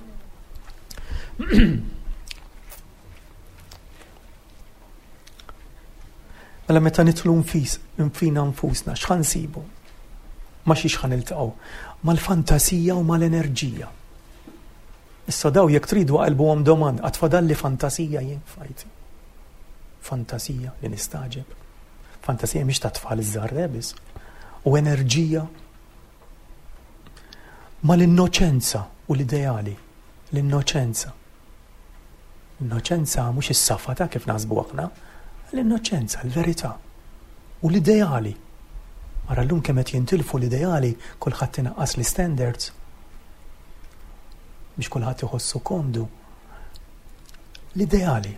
Mela meta nidħlu nfis fina nfusna x'ħa nsibu? Ma' xiex ħa niltaqgħu? Mal-fantasija u mal-enerġija. Issa daw jekk tridu aqilbuhom domand, għad fadalli fantasija jien f'ħajti. Fantasija li nistagħġeb. Fantasija mhix ta' tfal iż-żgħar eh, biss. U enerġija mal-innoċenza u l-ideali. L-innoċenza. L-innoċenza mhux is-safa ta' kif naħsbu aħna, l-innoċenza, l-verità u l-ideali. Ara llum kemm qed jintilfu l-ideali, kulħadd inaqqas l-istandards biex kulħadd iħossu komdu. L-ideali.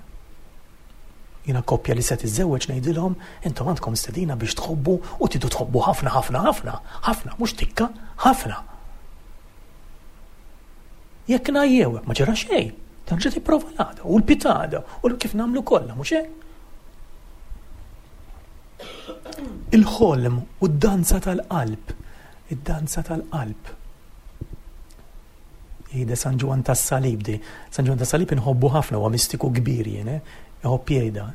Jiena koppja li se tiżżewweġ ngħidilhom intom għandkom stedina biex tħobbu u tidu tħobbu ħafna ħafna ħafna, ħafna mhux tikka, ħafna. Jekk ngħajjew, ma ġara xejn, terġa' tipprova l-għada u l-pitada u kif nagħmlu kollha, mhux hekk? Il-ħolm u d-danza tal-qalb, id-danza tal-qalb. Jgħidha San Ġwann tas-Salib di. San Ġwann tas-Salib inħobbu ħafna huwa mistiku kbir jien, eh? Iħobb jgħidha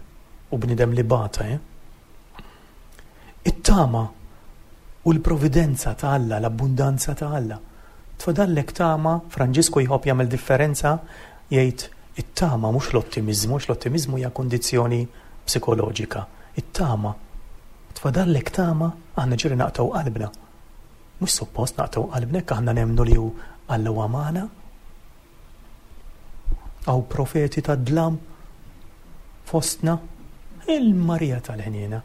u bniedem li bata, eh? It-tama u l-providenza ta' Alla, l-abbundanza ta' Alla. Tfadallek tama, Franġisku jħobb jagħmel differenza, jgħid it-tama mhux l-ottimiżmu, għax l-ottimiżmu hija kundizzjoni psikoloġika. It-tama. Tfadallek tama, aħna ġieli naqtgħu qalbna. Mhux suppost naqtgħu qalbna jekk aħna nemmnu li hu Alla huwa magħna. Hawn profeti tad-dlam fostna? Il-Marija tal-Ħniena.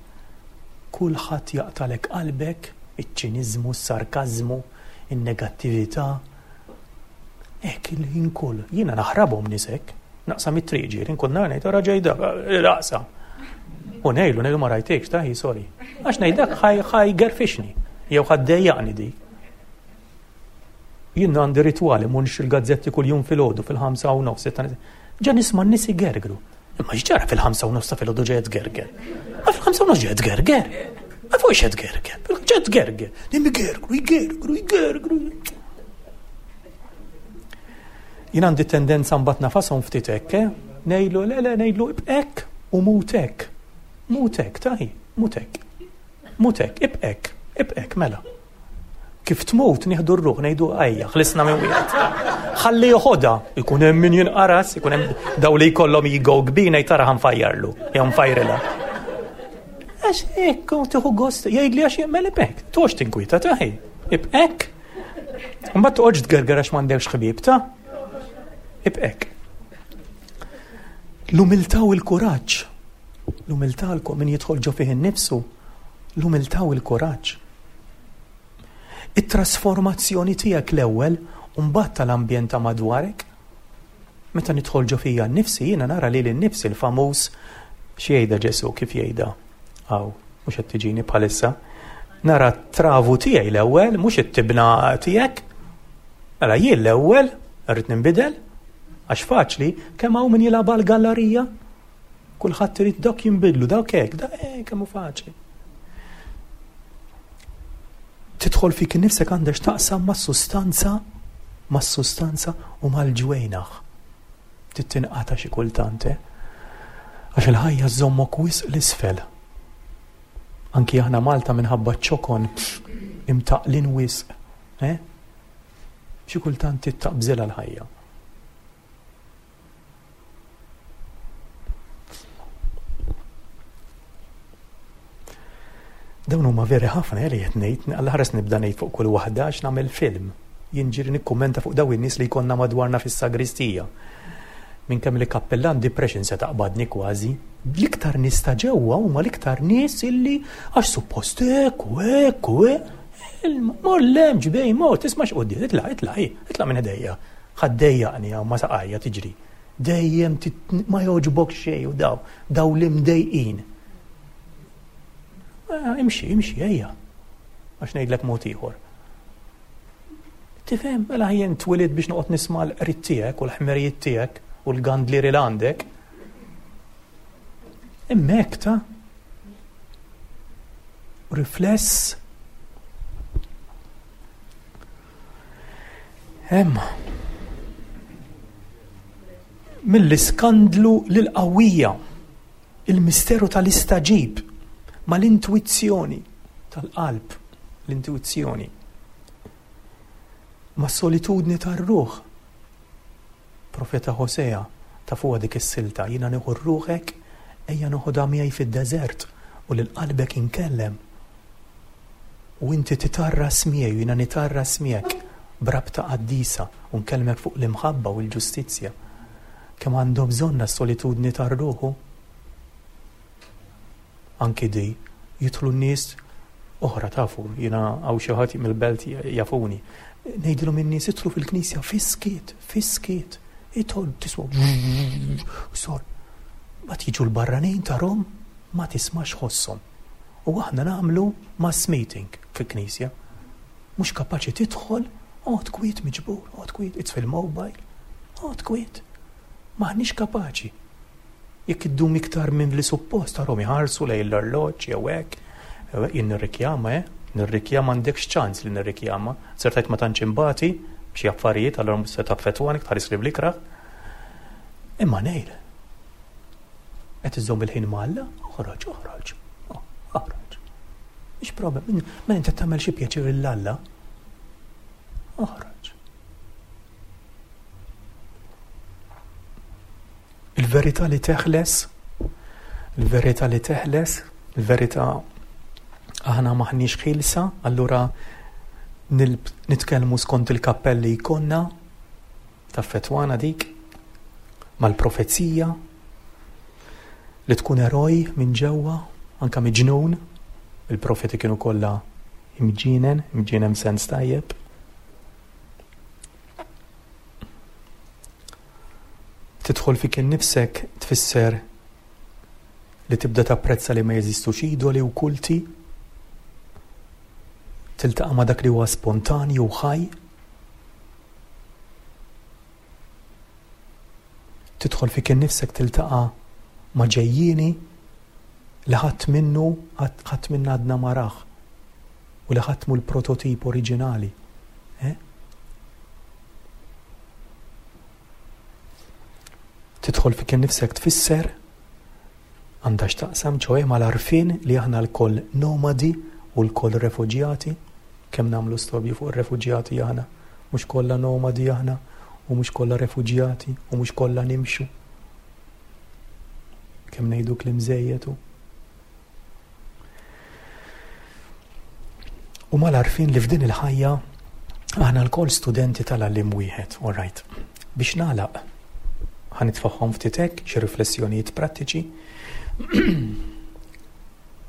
Kulħadd jaqtalek qalbek, iċ-ċiniżmu, s-sarkażmu, in-negattività. Hekk il-ħin kollu. Jiena naħrabhom nies hekk. Naqsam it-triq ġieli, nkun nar ngħid ara ġej dak, il-aqsa. U ngħidlu, ngħidlu ma rajtekx, taħi, sorry. Għax ngħid dak ħaj gerfixni, jew ħaddejjaqni dik. Jien għandi ritwal immur nixtri l-gazzetti kuljum filgħodu fil-5 u nofs. Ġa nisma' n-nies igergru. Imma x'ġara fil-5 u nofs ta' filgħodu ġejja tgerger? Ma fil-5 u nofs ġejja tgerger. Ma fuq xed tgerger? Ġejja tgerger. Nim igergru, igergru, igergru. Jien għandi tendenza mbagħad nafashom ftit hekk, eh? Ngħidlu, le, le, ngħidlu ibqek u mutek. Mutek, taħi, mutek. Mutek, ibqek, ibqek, mela. Kif tmut nieħdu r-ruħ ngħidu ejja, ħlisna minn wieħed. Ħalli joħodha, ikun hemm min jinqaras, ikun hemm daw li jkollhom ego kbir ngħid tara ħanfajjarlu, jew nfajrilha. Għax hekk u tieħu gost, jgħidli għax mela ibqek. Toqgħodx tinkwieta ta' ħej. Ibqek. Mbagħad toqgħodx tgerger għax m'għandekx ħbieb ta' ibqek. L-umiltà u l-kuraġġ. L-umiltà min jidħol ġo fih innifsu, l-umiltà u l-kuraġġ. It-trasformazzjoni tiegħek l-ewwel u mbagħad tal-ambjent ta' madwarek. Meta nidħol ġo fija nnifsi jiena nara lili nnifsi l-famuż x'jgħidha Ġesù kif jgħidha? Aw, mhux qed tiġini bħalissa. Nara t-travu tiegħi l-ewwel, mhux it-tibna tiegħek. Mela jien l-ewwel rrid ninbidel għax faċli kemm hawn min jilgħab għall-gallarija. Kulħadd irid dawk jinbidlu, dawk hekk, da eh, kemm hu faċli. Tidħol fik innifsek għandha x'taqsam mas-sustanza, mas-sustanza u mal-ġwejnaħ. Trid tinqata' xi kultant, eh? Għax il-ħajja żżommok wisq l-isfel. Anki aħna Malta minħabba ċ-ċokon imtaqlin wisq, eh? Xi kultant trid taqbżilha l-ħajja. Dawn huma veri ħafna eh, li qed ngħid, alla ħares nibda ngħid fuq kull waħda għax nagħmel film. Jien ġieli nikkummenta fuq dawn in-nies li jkollna madwarna fis-sagristija. Minn kemm li kappellan depression se taqbadni kważi. L-iktar nies ta' ġewwa huma l-iktar nies illi għax suppost hekk u hekk u hekk. Mor lem ġbej, mor, tismax quddiem, itlaq, itlaq, itlaq minn ħdejja. Ħa ddejjaqni hawn ma' saqajja tiġri. Dejjem ma jogħġbok xejn u daw, daw li mdejqin. Eh, imxi, imxi, ejja. Għax ngħidlek mod ieħor. Tifhem, mela jien twilid biex noqgħod nisma' l-qrid tiegħek u l-ħmerijiet tiegħek u l-gandlieri l għandek. Imma ta' rifless Hemm mill-iskandlu lill-qawwija, il-misteru tal-istagħġib mal-intwizzjoni tal-qalb, l-intuizzjoni, mas-solitudni tar-ruħ. Profeta Hosea tafuha dik is-silta, jiena nieħu ruħek, ejja noħodha miegħi fid-deżert u lil qalbek inkellem. U inti titarras miegħi u jiena nitarras miegħek b'rabta qaddisa u nkellmek fuq l-imħabba u l-ġustizzja. Kemm għandhom bżonnha s-solitudni tar-ruħ hu? Anki di, jidħlu n-nies oħra tafu, jiena hawn xi ħadd mill-belt jafuni. Ngħidilhom in-nies idħlu fil-knisja fis-skiet, fis-skiet. Idħol tiswa' sor. Mbagħad jiġu l-barranin tarhom ma tismax ħosshom. U aħna nagħmlu mass meeting fil-knisja. Mhux kapaċi tidħol, oqgħod kwiet miġbur, oqgħod kwiet, itfi l-mobile, oqgħod kwiet. M'aħniex kapaċi. Jekk iddum iktar minn li suppost tarhom iħarsu lejn l-arloġġ jew hekk. Jien nirrikjama, eh? Nirrikjama m'għandekx ċans li nirrikjama. Sertajt ma tantx imbati b'xi affarijiet allura mhux se taffettwani tħares li blikrah. Imma ngħid. Qed iżżomm il-ħin ma' Alla? Oħroġ, oħroġ. Oh, oħroġ. Mhix problem. Mela inti tagħmel xi pjaċir lil Alla. Oħroġ. Il-verità li teħles, il-verità li teħles, il-verità aħna maħniex ħilsa, allura nitkellmu skont il-kappell li jkollna, taffetwana dik, mal-profezija, li tkun eroj minn ġewwa, anka miġnun, il-profeti kienu kollha imġinen, imġinen sens tajjeb. Tidħol fik innifsek tfisser li tibda tapprezza li ma jeżistux idoli u kulti, tiltaqa' ma' dak li huwa spontanju u ħaj. Tidħol fik innifsek tiltaqa' ma' ġejjieni li ħadd minnu ħadd minna għadna ma rah u li ħadd mhu l-prototip oriġinali. Eh? Tidħol fik innifsek tfisser għandha x'taqsam ċoe mal-għarfien li aħna lkoll nomadi u lkoll refuġjati, kemm nagħmlu storbju fuq ir-refuġjati aħna, mhux kollha nomadi aħna u mhux kollha refuġjati u mhux kollha nimxu. Kemm ngħidu kliem żejjed u. U mal-għarfien li f'din il-ħajja aħna lkoll studenti tal-għalliem wieħed, all right. Biex nagħlaq, ħa nitfagħhom ftit hekk, xi riflessjonijiet prattiċi.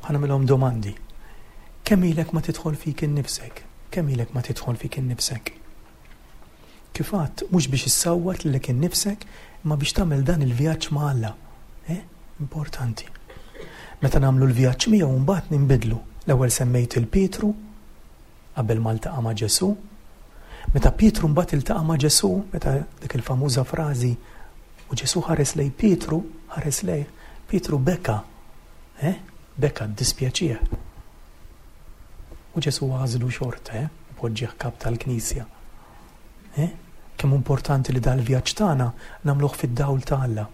Ħa nagħmilhom domandi. Kemm ilek ma tidħol fik innifsek? Kemm ilek ma tidħol fik innifsek? Kif għadt, mhux biex issawwat lilek innifsek, imma biex tagħmel dan il-vjaġġ ma' Alla. Eh? Importanti. Meta nagħmlu l-vjaġġ miegħu mbagħad ninbidlu. L-ewwel semmejt il Pietru qabel ma ltaqa' ma' Ġesù. Meta Pietru mbagħad iltaqa' ma' Ġesù, meta dik il-famuża frażi u Ġesù ħares lej Pietru, ħares lejh, Pietru beka. Eh? Beka ddispjaċih. U Ġesù għażlu xorta, eh? U poġġih kap tal-Knisja. Eh? Kemm importanti li dal-vjaġġ tagħna nagħmluh fid-dawl ta' Alla.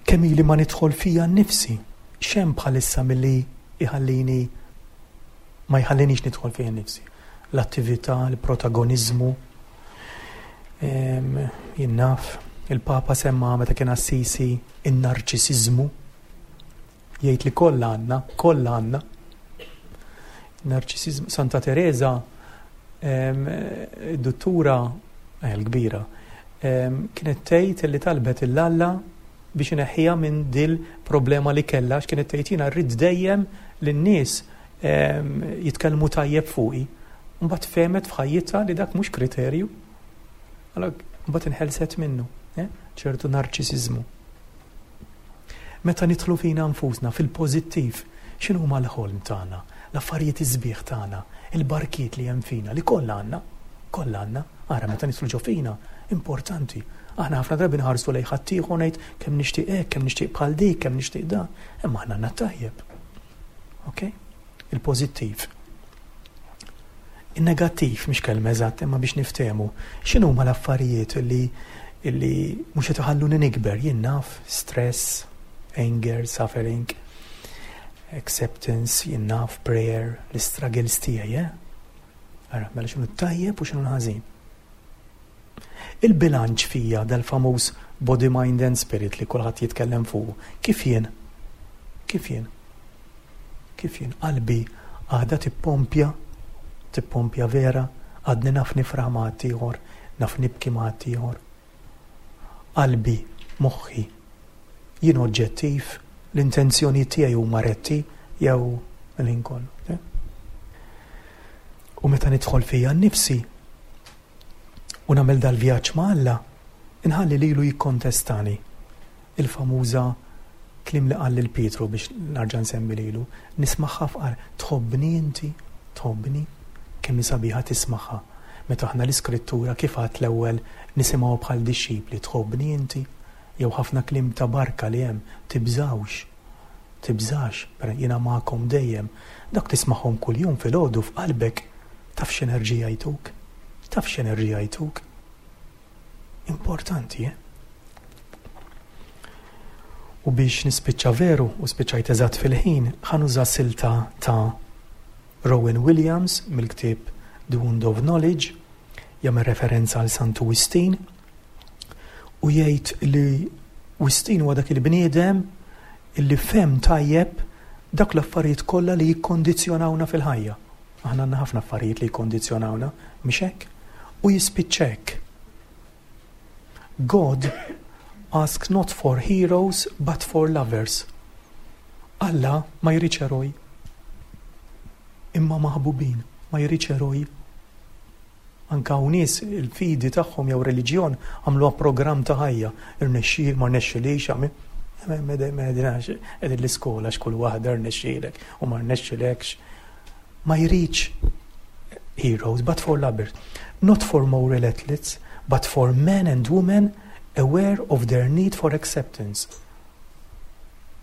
Kemm ili ma nidħol fija nnifsi, x'hemm bħalissa milli jħallini ma jħallinix nidħol fija nnifsi. L-attività, l-protagoniżmu, jien naf, il-Papa semma meta kien Assisi in-narċisiżmu. Jgħid li kollha għandna, kollha għandna. Narċisiżmu, Santa Teresa, id-duttura eh, l-kbira, kienet tgħid li talbet il Alla biex ineħħiha minn dil problema li kellha għax kienet tgħid jiena rrid dejjem lin-nies jitkellmu tajjeb fuqi. Mbagħad fehmet f'ħajjitha li dak mhux kriterju. Allora mbagħad inħelset minnu, eh? ċertu narċisiżmu. Meta nidħlu fina nfusna fil-pożittiv, x'inhuma l-ħolm tagħna, l-affarijiet is-sbieħ tagħna, il-barkiet li hemm fina, li kollha għandna, kollha għandna. Ara meta nidħlu ġo fina, importanti. Aħna ħafna drabi nħarsu lejn ħaddieħor ngħid kemm nixtieq hekk, kemm nixtieq bħal dik, kemm nixtieq dan, imma aħna għandna tajjeb. Ok? Il-pożittiv. In-negattiv mhix kelma eżatt imma biex niftehmu. X'inhuma l-affarijiet li illi mhux qed iħalluni nikber, jien naf stress, anger, suffering, acceptance, jien naf prayer, l-struggles tiegħi, eh? Ara, mela x'inhu tajjeb u x'inhu l-ħażin. Il-bilanċ fija dal-famuż body, mind and spirit li kulħadd jitkellem fuq, kif jien? Kif jien? Kif jien? Qalbi għadha tippompja, tippompja vera, għadni naf nifraħ ma' ħaddieħor, naf nibki ma' ħaddieħor. Qalbi, moħħi, jien oġġettiv, l-intenzjonijiet tiegħi huma retti jew il-ħin kollu. U meta nidħol fija nnifsi u nagħmel dal-vjaġġ ma' Alla, inħalli lilu jikkontestani. Il-famuża kliem li qal lil Pietru biex narġa' nsemmi lilu, nismagħha f'qar, tħobbni inti? Tħobbni? Kemm hi sabiħa tismagħha. Meta aħna l-Iskrittura kif għadt l-ewwel nisimgħuha bħal dixxipli, tħobbni inti? Jew ħafna kliem ta' barka li hemm, tibżgħux. Tibżax, jiena magħkom dejjem. Dak tismagħhom kuljum filgħodu f'qalbek, taf x'enerġija jtuk? Taf x'enerġija jtuk? Importanti, eh? U biex nispiċċa veru, u spiċċajt eżatt fil-ħin, ħa nuża silta ta' Rowan Williams mill-ktieb The Wound of Knowledge, jagħmel referenza għal Santu Wistin, u jgħid li Wistin huwa dak il-bniedem illi fehem tajjeb dak l-affarijiet kollha li jikkondizzjonawna fil-ħajja. Aħna għandna ħafna affarijiet li jikkondizzjonawna, mhix hekk? U jispiċċa hekk. God asks not for heroes but for lovers. Alla ma jridx eroj, imma maħbubin, ma jridx eroj. Anke hawn nies il-fidi tagħhom jew reliġjon għamluha programm ta' ħajja. Irnexxiel, ma rnexxilix, għamil. Ma qegħdin l-iskola x'kull waħda rnexxielek u ma rnexxilekx. Ma jridx heroes, but for lovers. Not for moral athletes, but for men and women aware of their need for acceptance.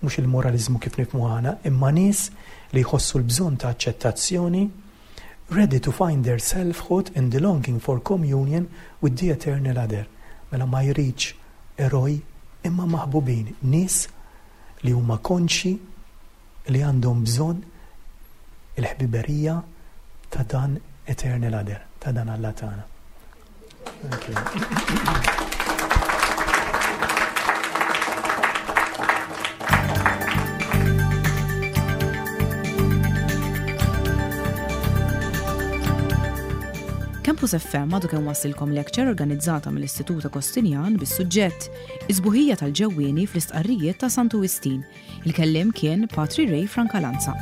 Mhux il-moraliżmu kif nifhmu aħna, imma nies li jħossu l-bżonn ta' aċċettazzjoni, ready to find their selfhood in the longing for communion with the eternal other. Mela ma jridx eroj imma maħbubin, nies li huma konxji li għandhom bżonn il-ħbiberija ta' dan eternal other, ta' dan Alla tagħna. Thank you. Campus FM għadu kemm waslilkom lecture organizzata mill-Istitut Agostinjan bis-suġġett Is-sbuħija tal-ġewwieni fl-istqarrijiet ta' Santu Wistin. Il-kelliem kien Patri Ray Francalanza.